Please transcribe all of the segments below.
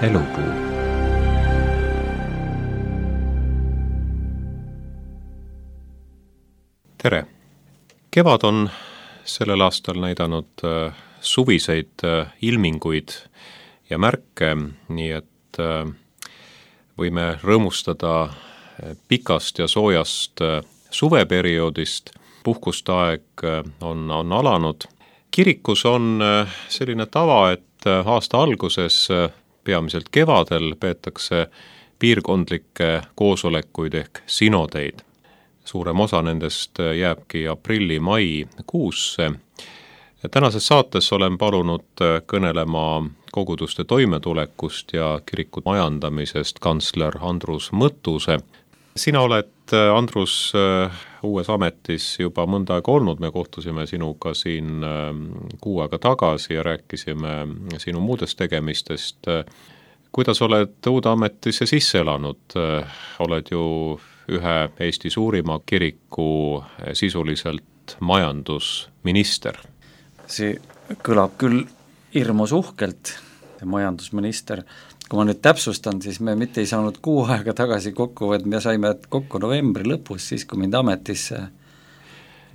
Elupuu. Tere! Kevad on sellel aastal näidanud suviseid ilminguid ja märke, nii et võime rõõmustada pikast ja soojast suveperioodist. Puhkuste aeg on alanud. Kirikus on selline tava, et aasta alguses, peamiselt kevadel, peetakse piirkondlikke koosolekuid ehk sinodeid. Suurem osa nendest jääbki aprilli-mai kuusse. Tänases saates olen palunud kõnelema koguduste toimetulekust ja kiriku majandamisest kantsler Andrus Mõttuse. Sina oled, Andrus, uues ametis juba mõnda aega olnud. Me kohtusime sinuga siin kuu aega tagasi ja rääkisime sinu muudest tegemistest. Kuidas oled uude ametisse sisse elanud? Oled ju ühe Eesti suurima kiriku sisuliselt majandusminister. See kõlab küll hirmus uhkelt, majandusminister. Kui ma nüüd täpsustan, siis me mitte ei saanud kuu aega tagasi kokku, vaid me saime kokku novembri lõpus, siis kui mind ametisse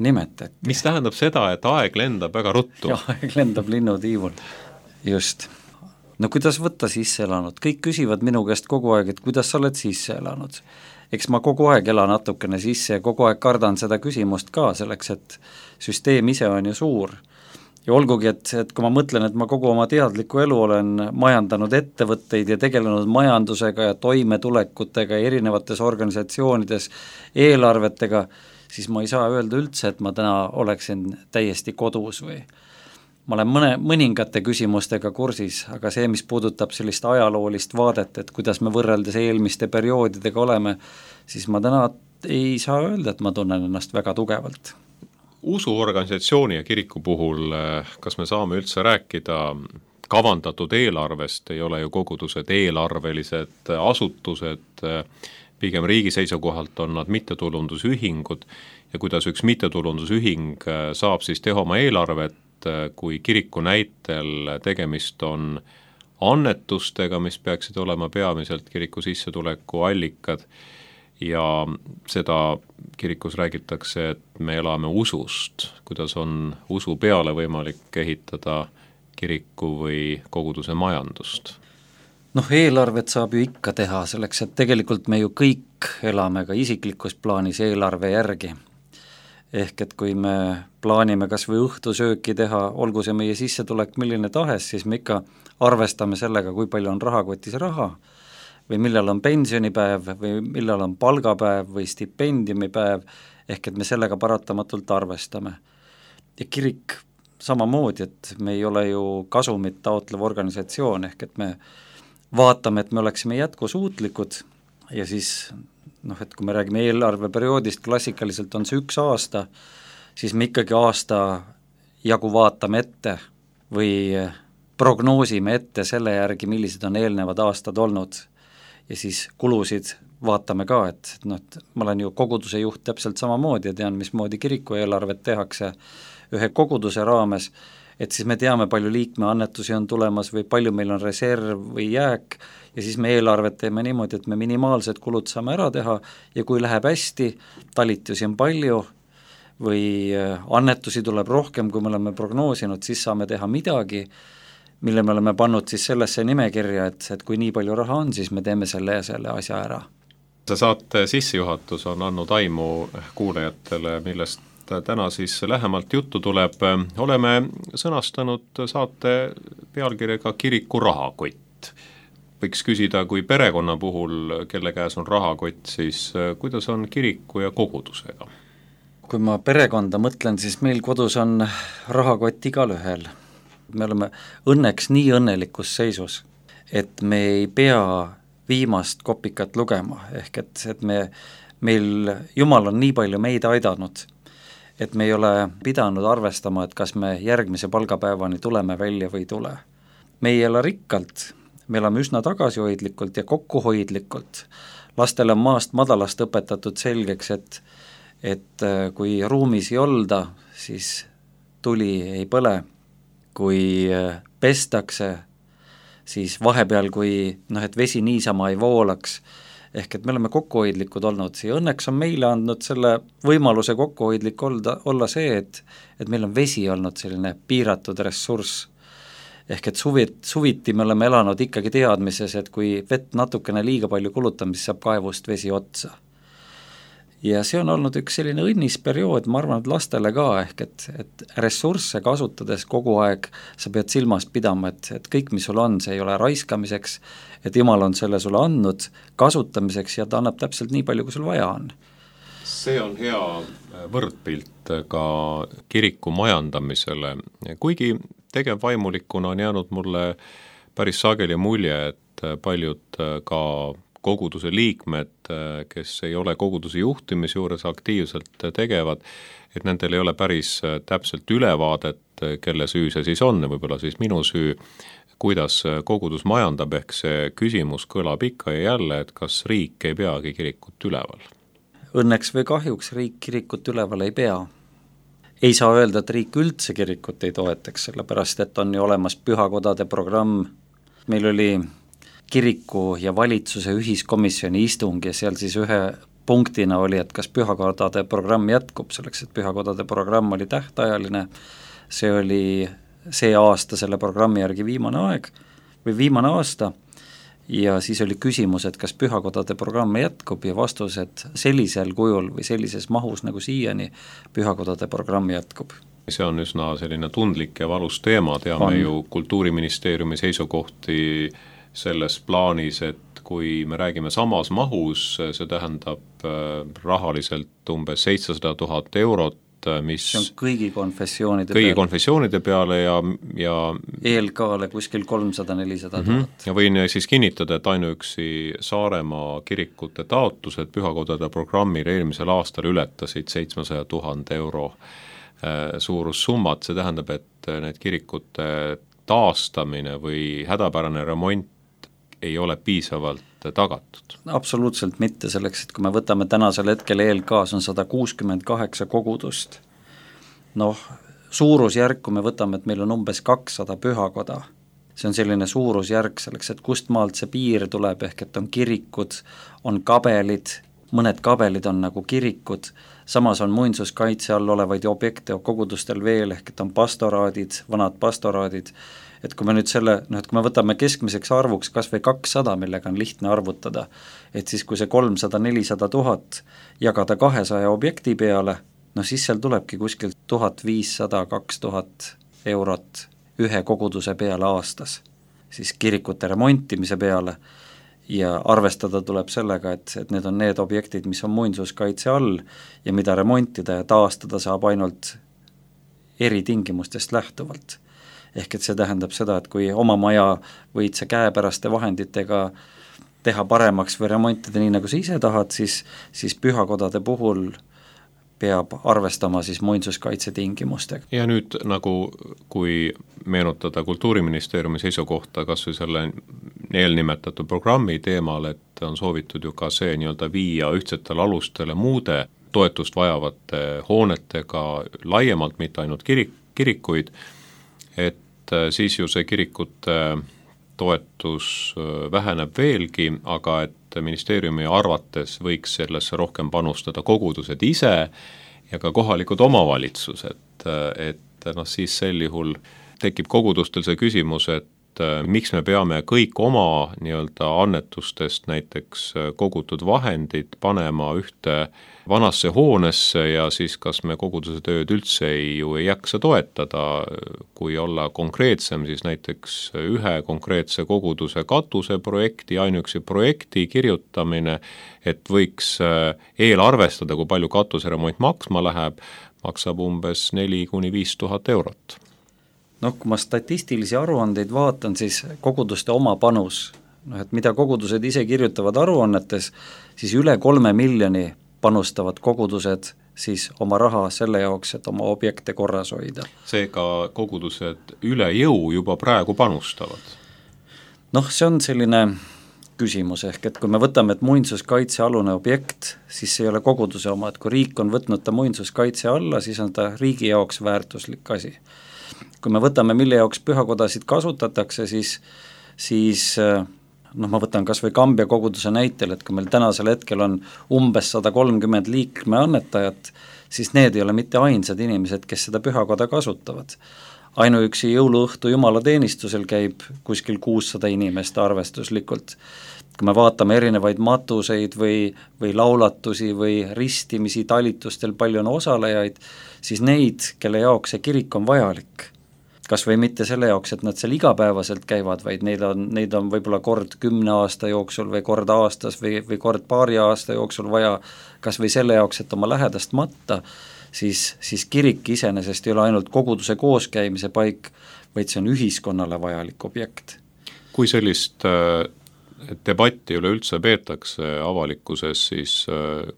nimetati. Mis tähendab seda, et aeg lendab väga ruttu? Jah, aeg lendab linnutiivul. Just. No kuidas võtta sisse elanud? Kõik küsivad minu käest kogu aeg, et kuidas sa oled sisse elanud. Eks ma kogu aeg elan natukene sisse ja kogu aeg kardan seda küsimust ka, selleks et süsteem ise on ju suur. Ja olgugi, et kui ma mõtlen, et ma kogu oma teadliku elu olen majandanud ettevõtteid ja tegelenud majandusega ja toimetulekutega ja erinevates organisatsioonides eelarvetega, siis ma ei saa öelda üldse, et ma täna oleksin täiesti kodus või ma olen mõningate küsimustega kursis, aga see, mis puudutab sellist ajaloolist vaadet, et kuidas me võrreldes eelmiste perioodidega oleme, siis ma täna ei saa öelda, et ma tunnen ennast väga tugevalt. Usuorganisatsiooni ja kiriku puhul, kas me saame üldse rääkida kavandatud eelarvest? Ei ole ju kogudused eelarvelised asutused, pigem riigi seisukohalt on nad mittetulundusühingud ja kuidas üks mittetulundusühing saab siis teha oma eelarvet, kui kiriku näitel tegemist on annetustega, mis peaksid olema peamiselt kiriku sissetuleku allikad ja seda kirikus räägitakse, et me elame usust, kuidas on usu peale võimalik ehitada kiriku või koguduse majandust. Eelarvet saab ju ikka teha selleks, et tegelikult me ju kõik elame ka isiklikus plaanis eelarve järgi. Ehk et kui me plaanime kas või õhtusööki teha, olgu see meie sissetulek milline tahes, siis me ikka arvestame sellega, kui palju on rahakotis raha või millal on pensionipäev või millal on palgapäev või stipendiumipäev, ehk et me sellega paratamatult arvestame. Ja kirik samamoodi, et me ei ole ju kasumit taotlev organisatsioon, ehk et me vaatame, et me oleksime jätkusuutlikud ja siis et kui me räägime eelarveperioodist, klassikaliselt on see 1 aasta, siis me ikkagi aasta jagu vaatame ette või prognoosime ette selle järgi, millised on eelnevad aastad olnud ja siis kulusid vaatame ka, et ma olen ju koguduse juht täpselt samamoodi ja tean, mismoodi kiriku eelarvet tehakse ühe koguduse raames, et siis me teame, palju liikme annetusi on tulemas või palju meil on reserv või jääk ja siis me eelarvet teeme niimoodi, et me minimaalsed kulud saame ära teha ja kui läheb hästi, talitusi on palju või annetusi tuleb rohkem, kui me oleme prognoosinud, siis saame teha midagi, mille me oleme pannud siis sellesse nimekirja, et kui nii palju raha on, siis me teeme selle ja selle asja ära. See saate sissejuhatus on andnud aimu kuulajatele, millest täna siis lähemalt juttu tuleb. Oleme sõnastanud saate pealkirjaga Kiriku rahakott. Võiks küsida, kui perekonna puhul, kelle käes on rahakott, siis kuidas on kiriku ja kogudusega? Kui ma perekonda mõtlen, siis meil kodus on rahakott igal ühel. Me oleme õnneks nii õnnelikus seisus, et me ei pea viimast kopikat lugema, ehk et meil Jumal on nii palju meid aidanud, et me ei ole pidanud arvestama, et kas me järgmise palgapäevani tuleme välja või ei tule. Me ei ela rikkalt, me elame üsna tagasihoidlikult ja kokkuhoidlikult. Lastele on maast madalast õpetatud selgeks, et kui ruumis ei olda, siis tuli ei põle. Kui pestakse, siis vahepeal, kui et vesi niisama ei voolaks, ehk et me oleme kokkuhoidlikud olnud ja õnneks on meile andnud selle võimaluse kokkuhoidlik olla see, et meil on vesi olnud selline piiratud ressurss. Ehk et suviti me oleme elanud ikkagi teadmises, et kui vett natukene liiga palju kulutame, siis saab kaevust vesi otsa. Ja see on olnud üks selline õnnis periood, ma arvan, et lastele ka, ehk et ressursse kasutades kogu aeg sa pead silmas pidama, et kõik, mis sul on, see ei ole raiskamiseks, et Jumal on selle sulle andnud kasutamiseks ja ta annab täpselt nii palju, kui sul vaja on. See on hea võrdpilt ka kiriku majandamisele, kuigi tegevvaimulikuna on jäänud mulle päris sageli mulje, et paljud ka koguduse liikmed, kes ei ole koguduse juhtimise juures aktiivselt tegevad, et nendel ei ole päris täpselt ülevaadet, kelle süü see siis on, võib-olla siis minu süü, kuidas kogudus majandab, ehk see küsimus kõlab ikka ja jälle, et kas riik ei peagi kirikut üleval? Õnneks või kahjuks riik kirikut üleval ei pea. Ei saa öelda, et riik üldse kirikut ei toetaks, sellepärast et on ju olemas pühakodade programm. Meil oli kiriku ja valitsuse ühiskomisjoni istung ja seal siis ühe punktina oli, et kas pühakodade programm jätkub, selleks et pühakodade programm oli tähtajaline, see oli see aasta selle programmi järgi viimane aasta ja siis oli küsimus, et kas pühakodade programm jätkub ja vastus, et sellisel kujul või sellises mahus nagu siiani pühakodade programm jätkub. See on üsna selline tundlik ja valus teema, teame ju Kultuuriministeeriumi seisukohti selles plaanis, et kui me räägime samas mahus, see tähendab rahaliselt umbes 700 000 eurot, mis see on kõigi konfessioonide peale ja ELK-le kuskil 300-400 000. Ja võin siis kinnitada, et ainuüksi Saaremaa kirikute taotlused pühakodade programmil eelmisel aastal ületasid 700 000 euro suurussummat, see tähendab, et need kirikute taastamine või hädapärane remont ei ole piisavalt tagatud. Absoluutselt mitte, selleks, et kui me võtame tänasel hetkel ELK-s on 168 kogudust. Suurusjärk, kui me võtame, et meil on umbes 200 pühakoda, see on selline suurusjärk selleks, et kust maalt see piir tuleb, ehk et on kirikud, on kabelid, mõned kabelid on nagu kirikud, samas on muinsuskaitse all olevaid objekte kogudustel veel, ehk et on pastoraadid, vanad pastoraadid, et kui me nüüd kui me võtame keskmiseks arvuks kas või 200, millega on lihtne arvutada, et siis kui see 300-400 000 jagada 200 objekti peale, siis seal tulebki kuskil 1500-2000 eurot ühe koguduse peale aastas, siis kirikute remontimise peale ja arvestada tuleb sellega, et need on need objektid, mis on muinsuskaitse all ja mida remontida ja taastada saab ainult eritingimustest lähtuvalt. Ehk et see tähendab seda, et kui oma maja võid sa käepäraste vahenditega teha paremaks või remontida nii, nagu sa ise tahad, siis pühakodade puhul peab arvestama siis muinsuskaitse tingimustega. Ja nüüd kui meenutada Kultuuriministeeriumi seisukohta kas või selle eelnimetatud programmi teemal, et on soovitud ju ka see viia ühtsetele alustele muude toetust vajavate hoonetega laiemalt, mitte ainult kirikuid, et siis ju see kirikute toetus väheneb veelgi, aga et ministeeriumi arvates võiks sellesse rohkem panustada kogudused ise ja ka kohalikud omavalitsused, et siis sel juhul tekib kogudustel see küsimus, et miks me peame kõik oma annetustest näiteks kogutud vahendid panema ühte vanasse hoonesse ja siis kas me koguduse tööd üldse ei jaksa toetada, kui olla konkreetsem, siis näiteks ühe konkreetse koguduse katuseprojekti, ainuüksi projekti kirjutamine, et võiks eelarvestada, kui palju katuseremont maksma läheb, maksab umbes 4-5 000 eurot. Kui ma statistilisi aruandeid vaatan, siis koguduste oma panus, et mida kogudused ise kirjutavad aruannetes, siis üle 3 miljoni panustavad kogudused siis oma raha selle jaoks, et oma objekte korras hoida. Seega kogudused üle jõu juba praegu panustavad? See on selline küsimus, ehk et kui me võtame, et muinsuskaitsealune objekt, siis see ei ole koguduse oma, et kui riik on võtnud ta muinsuskaitse alla, siis on ta riigi jaoks väärtuslik asi. Kui me võtame, mille jaoks pühakodasid kasutatakse, siis siis ma võtan kas või Kambja koguduse näitel, et kui meil tänasel hetkel on umbes 130 liikme annetajat, siis need ei ole mitte ainsad inimesed, kes seda pühakoda kasutavad. Ainuüksi jõuluõhtu jumalateenistusel käib kuskil 600 inimest arvestuslikult. Kui me vaatame erinevaid matuseid või laulatusi või ristimisi talitustel, palju on osalejaid, siis neid, kelle jaoks see kirik on vajalik, kas või mitte selle jaoks, et nad seal igapäevaselt käivad, vaid neid on võib-olla kord 10 aasta jooksul või kord aastas või kord paari aasta jooksul vaja, kas või selle jaoks, et oma lähedast matta, siis kirik iseenesest ei ole ainult koguduse kooskäimise paik, vaid see on ühiskonnale vajalik objekt. Kui sellist debatti üleüldse peetakse avalikkuses, siis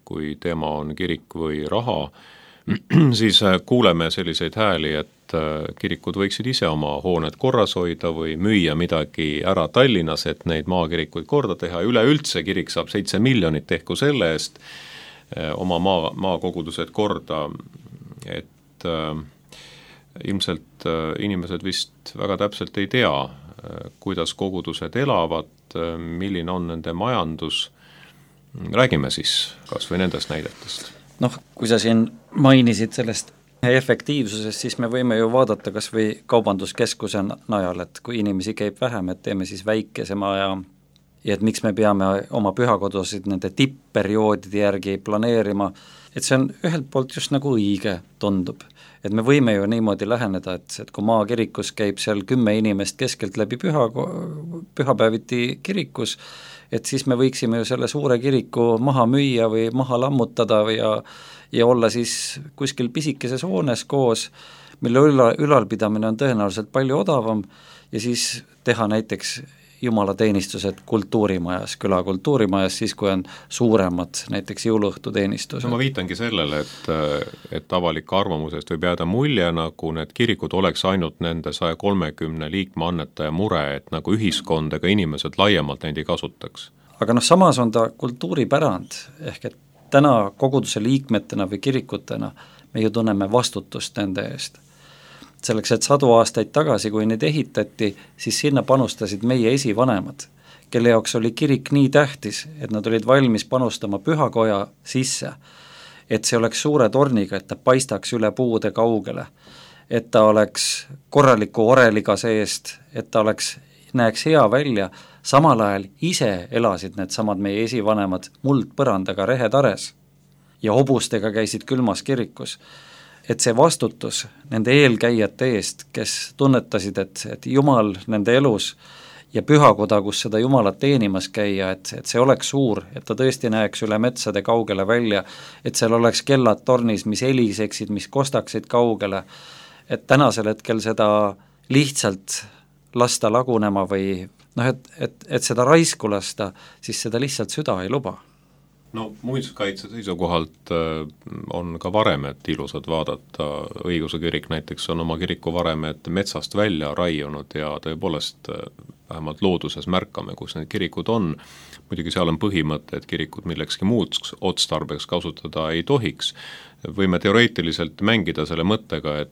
kui teema on kirik või raha, siis kuuleme selliseid hääli, et kirikud võiksid ise oma hooned korras hoida või müüa midagi ära Tallinnas, et neid maakirikuid korda teha, üleüldse kirik saab 7 miljonit tehku selle eest oma maakogudused korda, et ilmselt inimesed vist väga täpselt ei tea, kuidas kogudused elavad, milline on nende majandus, räägime siis kas või nendest näidetest. Kui sa siin mainisid sellest efektiivsusest, siis me võime ju vaadata kas või kaubanduskeskuse najal, et kui inimesi käib vähem, et teeme siis väikesema ja et miks me peame oma pühakodusid nende tippperioodide järgi planeerima, et see on ühelt poolt just nagu õige, tundub. Et me võime ju niimoodi läheneda, et kui maakirikus käib seal 10 inimest keskelt läbi pühapäeviti kirikus, et siis me võiksime ju selle suure kiriku maha müüa või maha lammutada ja olla siis kuskil pisikeses hoones koos, mille ülalpidamine on tõenäoliselt palju odavam ja siis teha näiteks jumalateenistused kultuurimajas, küla kultuurimajas, siis kui on suuremad näiteks jõuluõhtuteenistused. Ma viitangi sellele, et avalik arvamusest võib jääda mulje, nagu need kirikud oleks ainult nende 130 liikme annetaja mure, et nagu ühiskond ega inimesed laiemalt neid ei kasutaks. Aga samas on ta kultuuripärand, ehk et täna koguduse liikmetena või kirikutena me ju tunneme vastutust nende eest. Selleks, et 100 aastaid tagasi, kui neid ehitati, siis sinna panustasid meie esivanemad, kelle jaoks oli kirik nii tähtis, et nad olid valmis panustama pühakoja sisse, et see oleks suure torniga, et ta paistaks üle puude kaugele, et ta oleks korraliku oreliga seest, et ta näeks hea välja, samal ajal ise elasid need samad meie esivanemad muldpõrandaga rehetares ja hobustega käisid külmas kirikus. Et see vastutus nende eelkäijate eest, kes tunnetasid, et Jumal nende elus ja pühakoda, kus seda Jumalat teenimas käia, et see oleks suur, et ta tõesti näeks üle metsade kaugele välja, et seal oleks kellad tornis, mis heliseksid, mis kostaksid kaugele, et tänasel hetkel seda lihtsalt lasta lagunema või et seda raisku lasta, siis seda lihtsalt süda ei luba. Muinsuskaitse seisukohalt on ka varemed ilusad vaadata, õiguse kirik näiteks on oma kirikuvaremed metsast välja raiunud ja tõepoolest vähemalt looduses märkame, kus need kirikud on, muidugi seal on põhimõte, et kirikut millekski muuks otstarbeks kasutada ei tohiks, võime teoreetiliselt mängida selle mõttega, et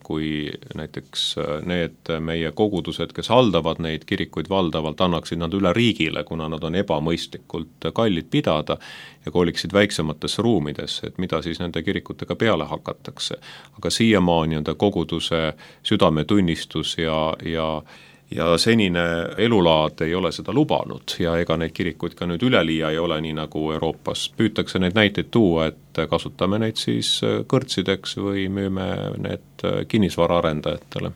kui näiteks need meie kogudused, kes haldavad neid kirikuid valdavalt, annaksid nad üle riigile, kuna nad on ebamõistlikult kallid pidada ja koliksid väiksematesse ruumidesse, et mida siis nende kirikutega peale hakatakse. Aga siiamaani on ta koguduse südametunnistus ja senine elulaad ei ole seda lubanud ja ega neid kirikuid ka nüüd üleliia ei ole, nii nagu Euroopas püütakse neid näiteid tuua, et kasutame neid siis kõrtsideks või müüme need kinnisvaraarendajatele.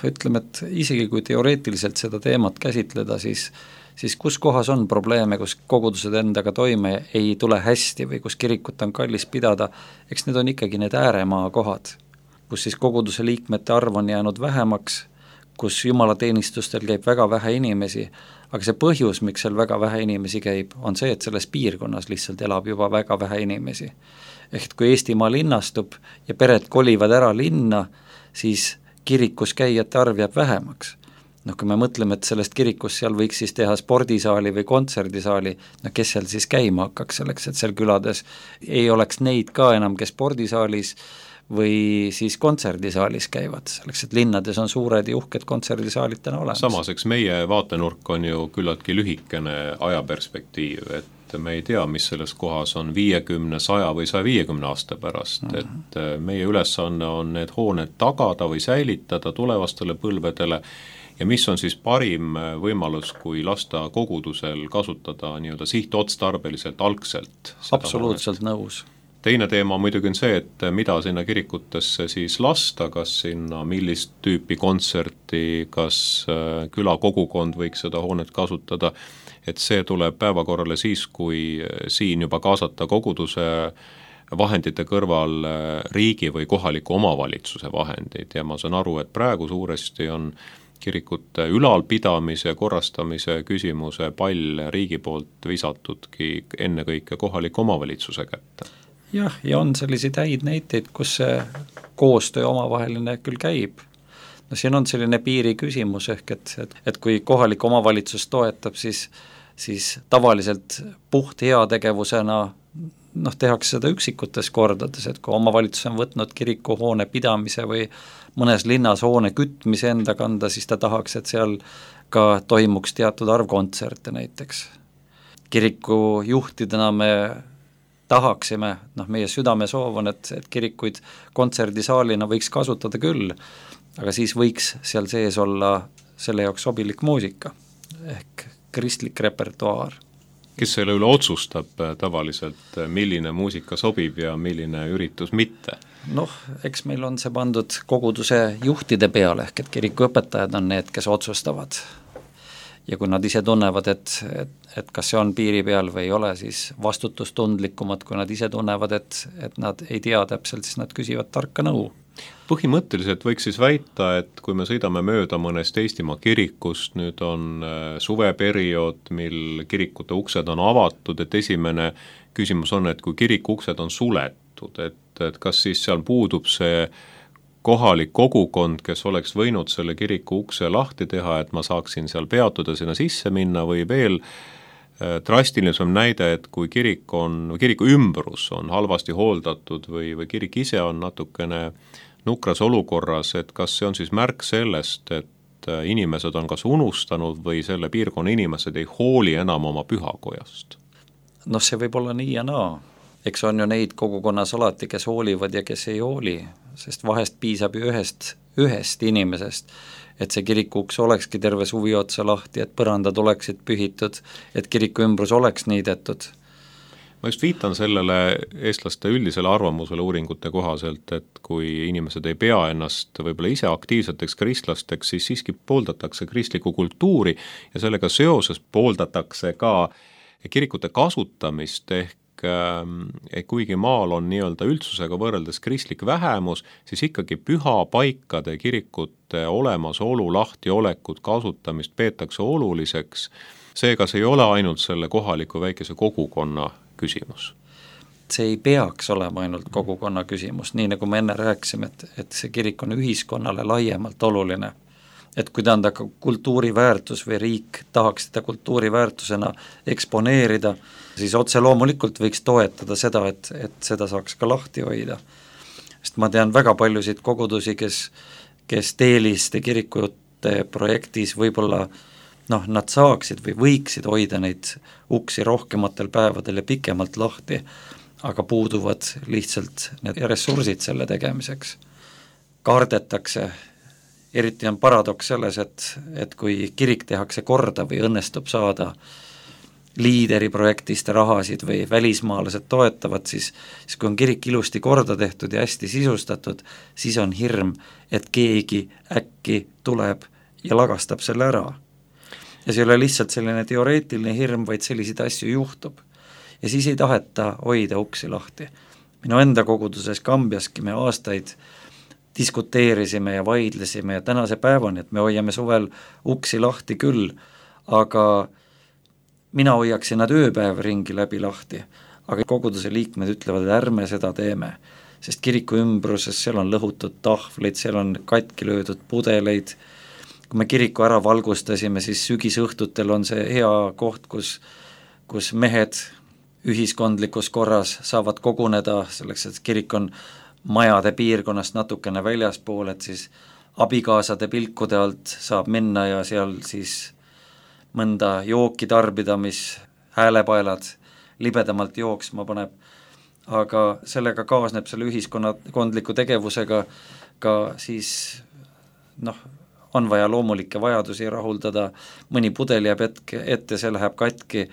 Ütleme, et isegi kui teoreetiliselt seda teemat käsitleda, siis kus kohas on probleeme, kus kogudused endaga toime ei tule hästi või kus kirikut on kallis pidada, eks need on ikkagi need ääremaa kohad, kus siis koguduse liikmete arv on jäänud vähemaks, kus jumalateenistustel käib väga vähe inimesi, aga see põhjus, miks seal väga vähe inimesi käib, on see, et selles piirkonnas lihtsalt elab juba väga vähe inimesi. Ehk kui Eestimaa linnastub ja pered kolivad ära linna, siis kirikus käijate arv jääb vähemaks. noh, kui me mõtleme, et sellest kirikust seal võiks siis teha spordisaali või kontserdisaali, no kes seal siis käima hakkaks selleks, et seal külades ei oleks neid ka enam, kes spordisaalis või siis kontserdisaalis käivad, selleks et linnades on suured ja uhked kontserdisaalid täna olemas. Samas, eks meie vaatenurk on ju küllaltki lühikene ajaperspektiiv, et me ei tea, mis selles kohas on 50, 100 või 150 aasta pärast, et meie ülesanne on need hooned tagada või säilitada tulevastele põlvedele ja mis on siis parim võimalus, kui lasta kogudusel kasutada nii-öelda sihtotstarbeliselt algselt. Absoluutselt nõus. Teine teema muidugi on see, et mida sinna kirikutesse siis lasta, kas sinna millist tüüpi kontserti, kas külakogukond võiks seda hoonet kasutada, et see tuleb päevakorrale siis, kui siin juba kaasata koguduse vahendite kõrval riigi või kohaliku omavalitsuse vahendid ja ma saan aru, et praegu suuresti on kirikute ülalpidamise ja korrastamise küsimuse pall riigi poolt visatudki ennekõike kohaliku omavalitsuse kätte. Jah, ja on selliseid häid näiteid, kus see koostöö omavaheline küll käib. No siin on selline piiri küsimus ehk, et kui kohalik omavalitsus toetab, siis tavaliselt puht heategevusena tehakse seda üksikutes kordades, et kui omavalitsus on võtnud kirikuhoone pidamise või mõnes linnas hoone kütmise enda kanda, siis ta tahaks, et seal ka toimuks teatud arv kontserte näiteks. Kiriku juhtidena me tahaksime, meie südame soov on, et kirikuid kontserdisaalina võiks kasutada küll, aga siis võiks seal sees olla selle jaoks sobilik muusika ehk kristlik repertuaar. Kes selle üle otsustab tavaliselt, milline muusika sobib ja milline üritus mitte? Eks meil on see pandud koguduse juhtide peale, ehk et kirikuõpetajad on need, kes otsustavad. Ja kui nad ise tunnevad, et kas see on piiri peal või ei ole, siis vastutustundlikumad, kui nad ise tunnevad, et nad ei tea täpselt, siis nad küsivad tarka nõu. Põhimõtteliselt võiks siis väita, et kui me sõidame mööda mõnest Eestimaa kirikust, nüüd on suveperiood, mil kirikute uksed on avatud, et esimene küsimus on, et kui kiriku uksed on suletud, et kas siis seal puudub see kohalik kogukond, kes oleks võinud selle kiriku ukse lahti teha, et ma saaksin seal peatuda, sinna sisse minna või veel drastilisem näide, et kui kiriku ümbrus on halvasti hooldatud või kirik ise on natukene nukras olukorras, et kas see on siis märk sellest, et inimesed on kas unustanud või selle piirkonna inimesed ei hooli enam oma pühakojast? See võib olla nii ja naa. Eks on ju neid kogukonnas alati, kes hoolivad ja kes ei hooli, sest vahest piisab ju ühest inimesest, et see kirikuuks olekski terve suvi otsa lahti, et põrandad oleksid pühitud, et kiriku ümbrus oleks niidetud. Ma just viitan sellele eestlaste üldisele arvamusele uuringute kohaselt, et kui inimesed ei pea ennast võib-olla ise aktiivseteks kristlasteks, siis siiski pooldatakse kristlikku kultuuri ja sellega seoses pooldatakse ka kirikute kasutamist ehk kuigi maal on nii-öelda üldsusega võrreldes kristlik vähemus, siis ikkagi pühapaikade kirikute olemasolu, lahtiolekut, kasutamist peetakse oluliseks. Seega see ei ole ainult selle kohaliku väikese kogukonna küsimus. See ei peaks olema ainult kogukonna küsimus, nii nagu me enne rääkisime, et see kirik on ühiskonnale laiemalt oluline. Et kui ta on ka kultuuriväärtus või riik tahaks seda kultuuriväärtusena eksponeerida, siis otse loomulikult võiks toetada seda, et seda saaks ka lahti hoida. Sest ma tean väga paljusid kogudusi, kes teeliste kirikute projektis võib-olla nad saaksid või võiksid hoida neid uksi rohkematel päevadel ja pikemalt lahti, aga puuduvad lihtsalt need ressursid selle tegemiseks. Kardetakse, eriti on paradoks selles, et kui kirik tehakse korda või õnnestub saada liideri projektist rahasid või välismaalased toetavad, siis kui on kirik ilusti korda tehtud ja hästi sisustatud, siis on hirm, et keegi äkki tuleb ja lagastab selle ära. Ja see ei ole lihtsalt selline teoreetiline hirm, vaid selliseid asju juhtub. Ja siis ei taheta hoida uksi lahti. Minu enda koguduses Kambjaski me aastaid diskuteerisime ja vaidlesime ja tänase päevani, et me hoiame suvel uksi lahti küll, aga mina hoiaksin nad ööpäev ringi läbi lahti, aga koguduse liikmed ütlevad, et ärme seda teeme, sest kiriku ümbruses seal on lõhutud tahvleid, seal on katki löödud pudeleid kui me kiriku ära valgustasime, siis sügisõhtutel on see hea koht, kus mehed ühiskondlikus korras saavad koguneda, selleks et kirik on majade piirkonnast natukene väljaspool, et siis abikaasade pilkude alt saab minna ja seal siis mõnda jooki tarbida, mis häälepaelad libedamalt jooksma paneb, aga sellega kaasneb selle ühiskondliku tegevusega ka siis on vaja loomulikke vajadusi rahuldada, mõni pudel jääb ette, see läheb katki,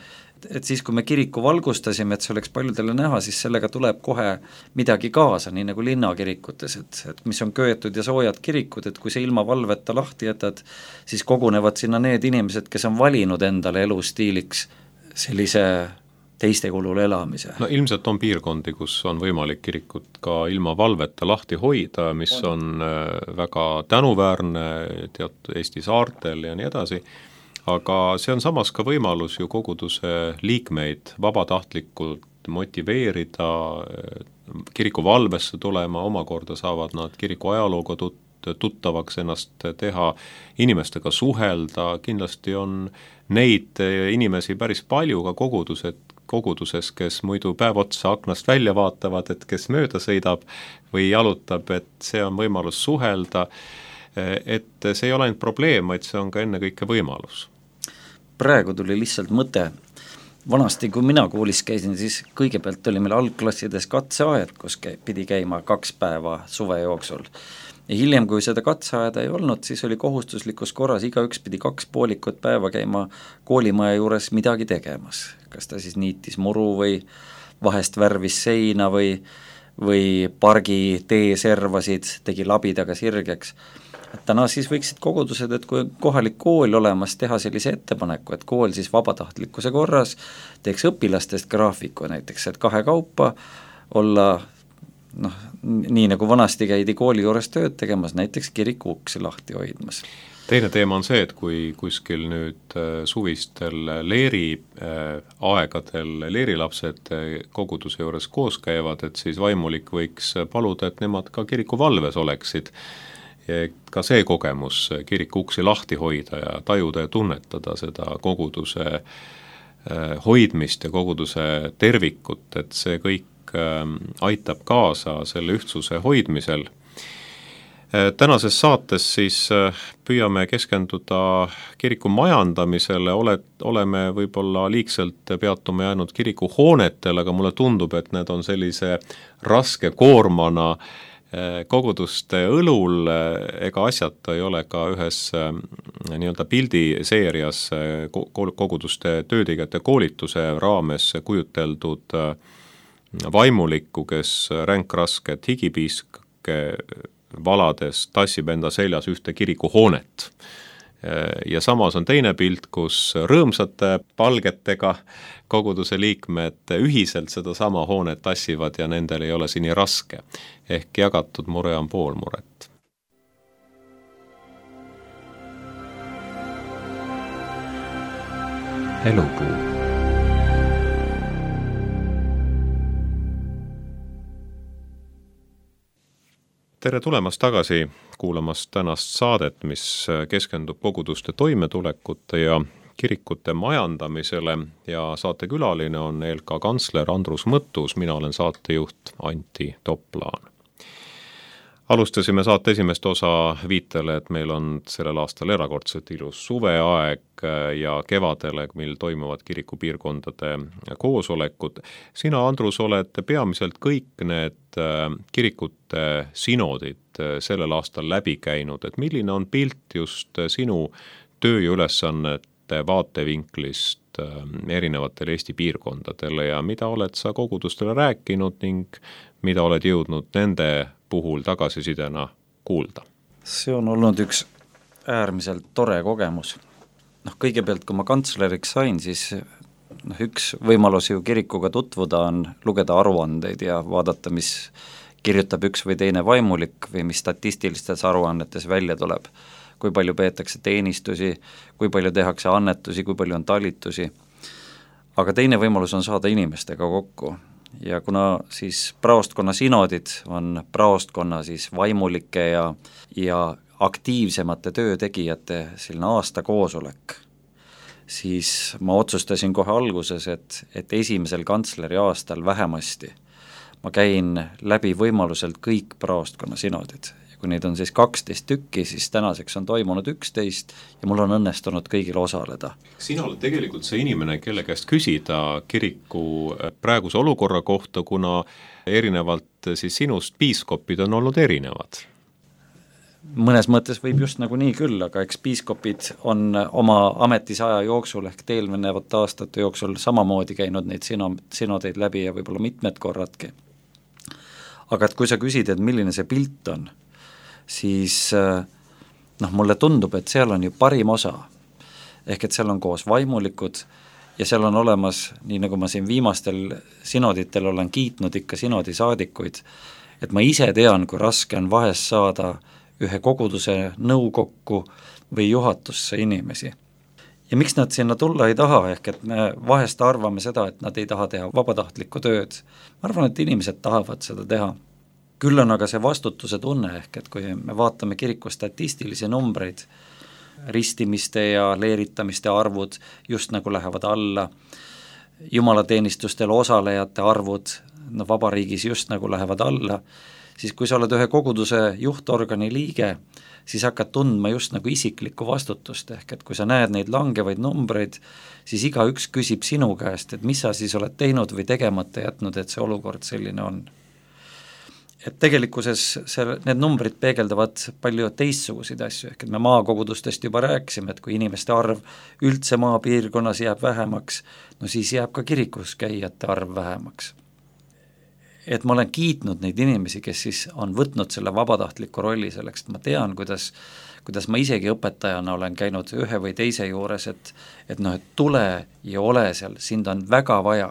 et siis, kui me kiriku valgustasime, et see oleks paljudele näha, siis sellega tuleb kohe midagi kaasa, nii nagu linnakirikutes, et mis on köetud ja soojad kirikud, et kui see ilma valveta lahti jätad, siis kogunevad sinna need inimesed, kes on valinud endale elustiiliks sellise teiste kulul elamise. No ilmselt on piirkondi, kus on võimalik kirikut ka ilma valveta lahti hoida, mis on väga tänuväärne Eesti saartel ja nii edasi, aga see on samas ka võimalus ju koguduse liikmeid vabatahtlikult motiveerida kiriku valvesse tulema, omakorda saavad nad kiriku ajalooga tuttavaks ennast teha, inimestega suhelda, kindlasti on neid inimesi päris palju ka koguduses, kes muidu päev otsa aknast välja vaatavad, et kes mööda sõidab või jalutab, et see on võimalus suhelda, et see ei ole ainult probleem, vaid see on ka ennekõike võimalus. Praegu tuli lihtsalt mõte, vanasti kui mina koolis käisin, siis kõigepealt oli meil algklassides katseaed, kus pidi käima 2 päeva suve jooksul. Ja hiljem, kui seda katseaeda ei olnud, siis oli kohustuslikus korras, igaüks pidi 2 poolikut päeva käima koolimaja juures midagi tegemas. Kas ta siis niitis muru või vahest värvis seina või pargi tee servasid, tegi labidaga sirgeks. Et täna siis võiksid kogudused, et kui kohalik kool olemas, teha sellise ettepaneku, et kool siis vabatahtlikkuse korras teeks õpilastest graafiku näiteks, et 2 kaupa olla nii nagu vanasti käidi kooli juures tööd tegemas, näiteks kiriku uksi lahti hoidmas. Teine teema on see, et kui kuskil nüüd suvistel leeri aegadel leerilapsed koguduse juures koos käivad, et siis vaimulik võiks paluda, et nemad ka kiriku valves oleksid. Ka see kogemus kiriku uksi lahti hoida ja tajuda ja tunnetada seda koguduse hoidmist ja koguduse tervikut, et see kõik aitab kaasa selle ühtsuse hoidmisel. Tänases saates siis püüame keskenduda kiriku majandamisele, oleme võib-olla liigselt peatume jäänud kiriku hoonetel, aga mulle tundub, et need on sellise raske koormana koguduste õlul, ega asjata ei ole ka ühes nii-öelda pildiseerias koguduste töötegijate koolituse raames kujuteldud vaimulikku, kes ränkrasked higipiiske valades tassib enda seljas ühte kiriku hoonet. Ja samas on teine pilt, kus rõõmsate palgetega koguduse liikmed ühiselt seda sama hoonet tassivad ja nendel ei ole see nii raske. Ehk jagatud mure on pool muret. Elupuu. Tere tulemast tagasi kuulamast tänast saadet, mis keskendub koguduste toimetulekute ja kirikute majandamisele ja saatekülaline on ELK kantsler Andrus Mõttus, mina olen saatejuht Antti Toplaan. Alustasime saate esimest osa viitele, et meil on sellel aastal erakordselt ilus suveaeg ja kevadele, mil toimuvad kirikupiirkondade koosolekud. Sina, Andrus, oled peamiselt kõik need kirikute sinodid sellel aastal läbi käinud, et milline on pilt just sinu töö ja ülesannete vaatevinklist erinevatele Eesti piirkondadele ja mida oled sa kogudustele rääkinud ning mida oled jõudnud nende puhul tagasisidena kuulda? See on olnud üks äärmiselt tore kogemus. Kõigepealt, kui ma kantsleriks sain, siis üks võimalus ju kirikuga tutvuda on lugeda aruandeid ja vaadata, mis kirjutab üks või teine vaimulik või mis statistilistes aruannetes välja tuleb. Kui palju peetakse teenistusi, kui palju tehakse annetusi, kui palju on talitusi. Aga teine võimalus on saada inimestega kokku. Ja kuna siis praostkonna sinodid on praostkonna siis vaimulike ja aktiivsemate töötegijate selline aastakoosolek, siis ma otsustasin kohe alguses, et esimesel kantsleri aastal vähemasti ma käin läbi võimaluselt kõik praostkonna sinodid. Ja kui neid on siis 12 tükki, siis tänaseks on toimunud 11 ja mul on õnnestunud kõigil osaleda. Sina oled tegelikult see inimene, kelle käest küsida kiriku praeguse olukorra kohta, kuna erinevalt siis sinust piiskopid on olnud erinevad. Mõnes mõttes võib just nagu nii küll, aga eks piiskopid on oma ametisaja jooksul ehk eelnevate aastate jooksul samamoodi käinud neid sinodeid läbi ja võib-olla mitmed korradki. Aga et kui sa küsid, et milline see pilt on, siis mulle tundub, et seal on ju parim osa. Ehk et seal on koos vaimulikud ja seal on olemas, nii nagu ma siin viimastel sinoditel olen kiitnud ikka sinodisaadikuid, et ma ise tean, kui raske on vahest saada ühe koguduse nõukokku või juhatusse inimesi. Ja miks nad sinna tulla ei taha, ehk et me vahest arvame seda, et nad ei taha teha vabatahtlikku tööd. Ma arvan, et inimesed tahavad seda teha. Küll on aga see vastutuse tunne, ehk et kui me vaatame kiriku statistilisi numbreid, ristimiste ja leeritamiste arvud just nagu lähevad alla, jumalateenistustel osalejate arvud vabariigis just nagu lähevad alla, siis kui sa oled ühe koguduse juhtorgani liige, siis hakkad tundma just nagu isiklikku vastutust, ehk et kui sa näed neid langevaid numbreid, siis igaüks küsib sinu käest, et mis sa siis oled teinud või tegemata jätnud, et see olukord selline on. Et tegelikkuses need numbrid peegeldavad palju teistsuguseid asju, ehk et me maakogudustest juba rääkisime, et kui inimeste arv üldse maapiirkonnas jääb vähemaks, no siis jääb ka kirikus käijate arv vähemaks. Et ma olen kiitnud neid inimesi, kes siis on võtnud selle vabatahtliku rolli selleks, et ma tean, kuidas ma isegi õpetajana olen käinud ühe või teise juures, et tule ja ole seal, sind on väga vaja.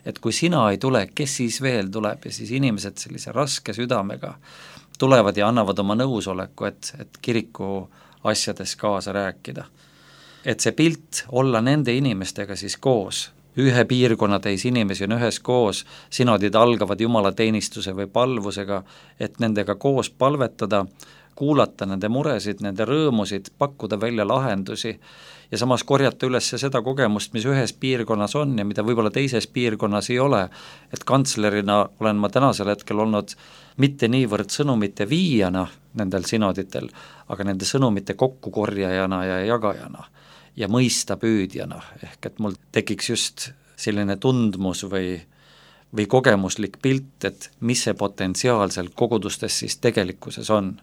Et kui sina ei tule, kes siis veel tuleb ja siis inimesed sellise raske südamega tulevad ja annavad oma nõusoleku, et kiriku asjades kaasa rääkida. Et see pilt olla nende inimestega siis koos, ühe piirkonna täis inimesi on ühes koos, sinodid algavad jumalateenistuse või palvusega, et nendega koos palvetada, kuulata nende muresid, nende rõõmusid, pakkuda välja lahendusi ja samas korjata üles seda kogemust, mis ühes piirkonnas on ja mida võib-olla teises piirkonnas ei ole, et kantslerina olen ma tänasel hetkel olnud mitte niivõrd sõnumite viijana nendel sinoditel, aga nende sõnumite kokkukorjajana ja jagajana ja mõista püüdjana, ehk et mul tekiks just selline tundmus või kogemuslik pilt, et mis see potentsiaal seal kogudustes siis tegelikkuses on.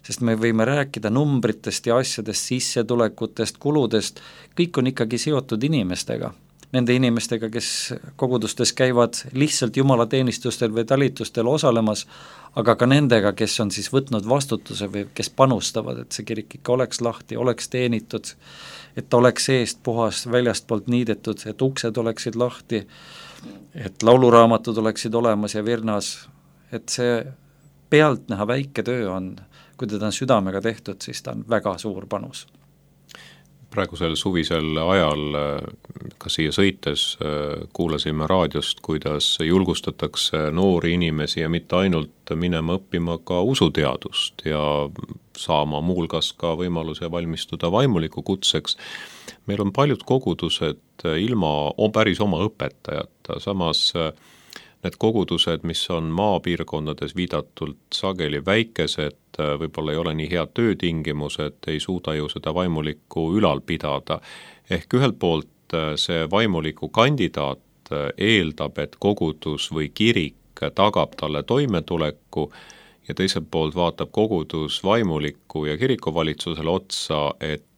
Sest me võime rääkida numbritest ja asjadest, sissetulekutest, kuludest, kõik on ikkagi seotud inimestega. Nende inimestega, kes kogudustes käivad lihtsalt jumalateenistustel või talitustel osalemas, aga ka nendega, kes on siis võtnud vastutuse või kes panustavad, et see kirik ikka oleks lahti, oleks teenitud, et oleks seest puhas, väljastpoolt niidetud, et uksed oleksid lahti, et lauluraamatud oleksid olemas ja virnas, et see pealtnäha väike töö on, kui teda on südamega tehtud, siis ta on väga suur panus. Praegusel suvisel ajal ka siia sõites kuulasime raadiost, kuidas julgustatakse noori inimesi ja mitte ainult minema õppima ka usuteadust ja saama muulgas ka võimaluse valmistuda vaimuliku kutseks. Meil on paljud kogudused ilma päris oma õpetajata, samas need kogudused, mis on maapiirkondades viidatult sageli väikesed, võib-olla ei ole nii head töötingimused, ei suuda ju seda vaimulikku ülal pidada. Ehk ühelt poolt see vaimuliku kandidaat eeldab, et kogudus või kirik tagab talle toimetuleku ja teiselt poolt vaatab kogudus vaimuliku ja kirikuvalitsusele otsa, et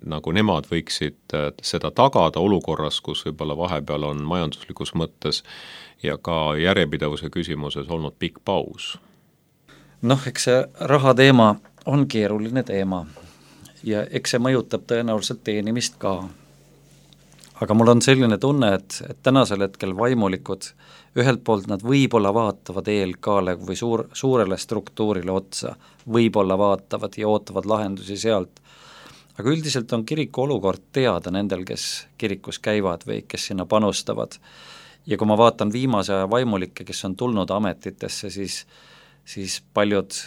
nagu nemad võiksid seda tagada olukorras, kus võib-olla vahepeal on majanduslikus mõttes ja ka järjepidevuse küsimuses olnud pikk paus. Eks see raha teema on keeruline teema ja eks see mõjutab tõenäoliselt teenimist ka. Aga mul on selline tunne, et tänasel hetkel vaimulikud, ühelt poolt nad võib-olla vaatavad ELK-le või suurele struktuurile otsa, võib-olla vaatavad ja ootavad lahendusi sealt, aga üldiselt on kiriku olukord teada nendel, kes kirikus käivad või kes sinna panustavad. Ja kui ma vaatan viimase aja vaimulikke, kes on tulnud ametitesse, siis paljud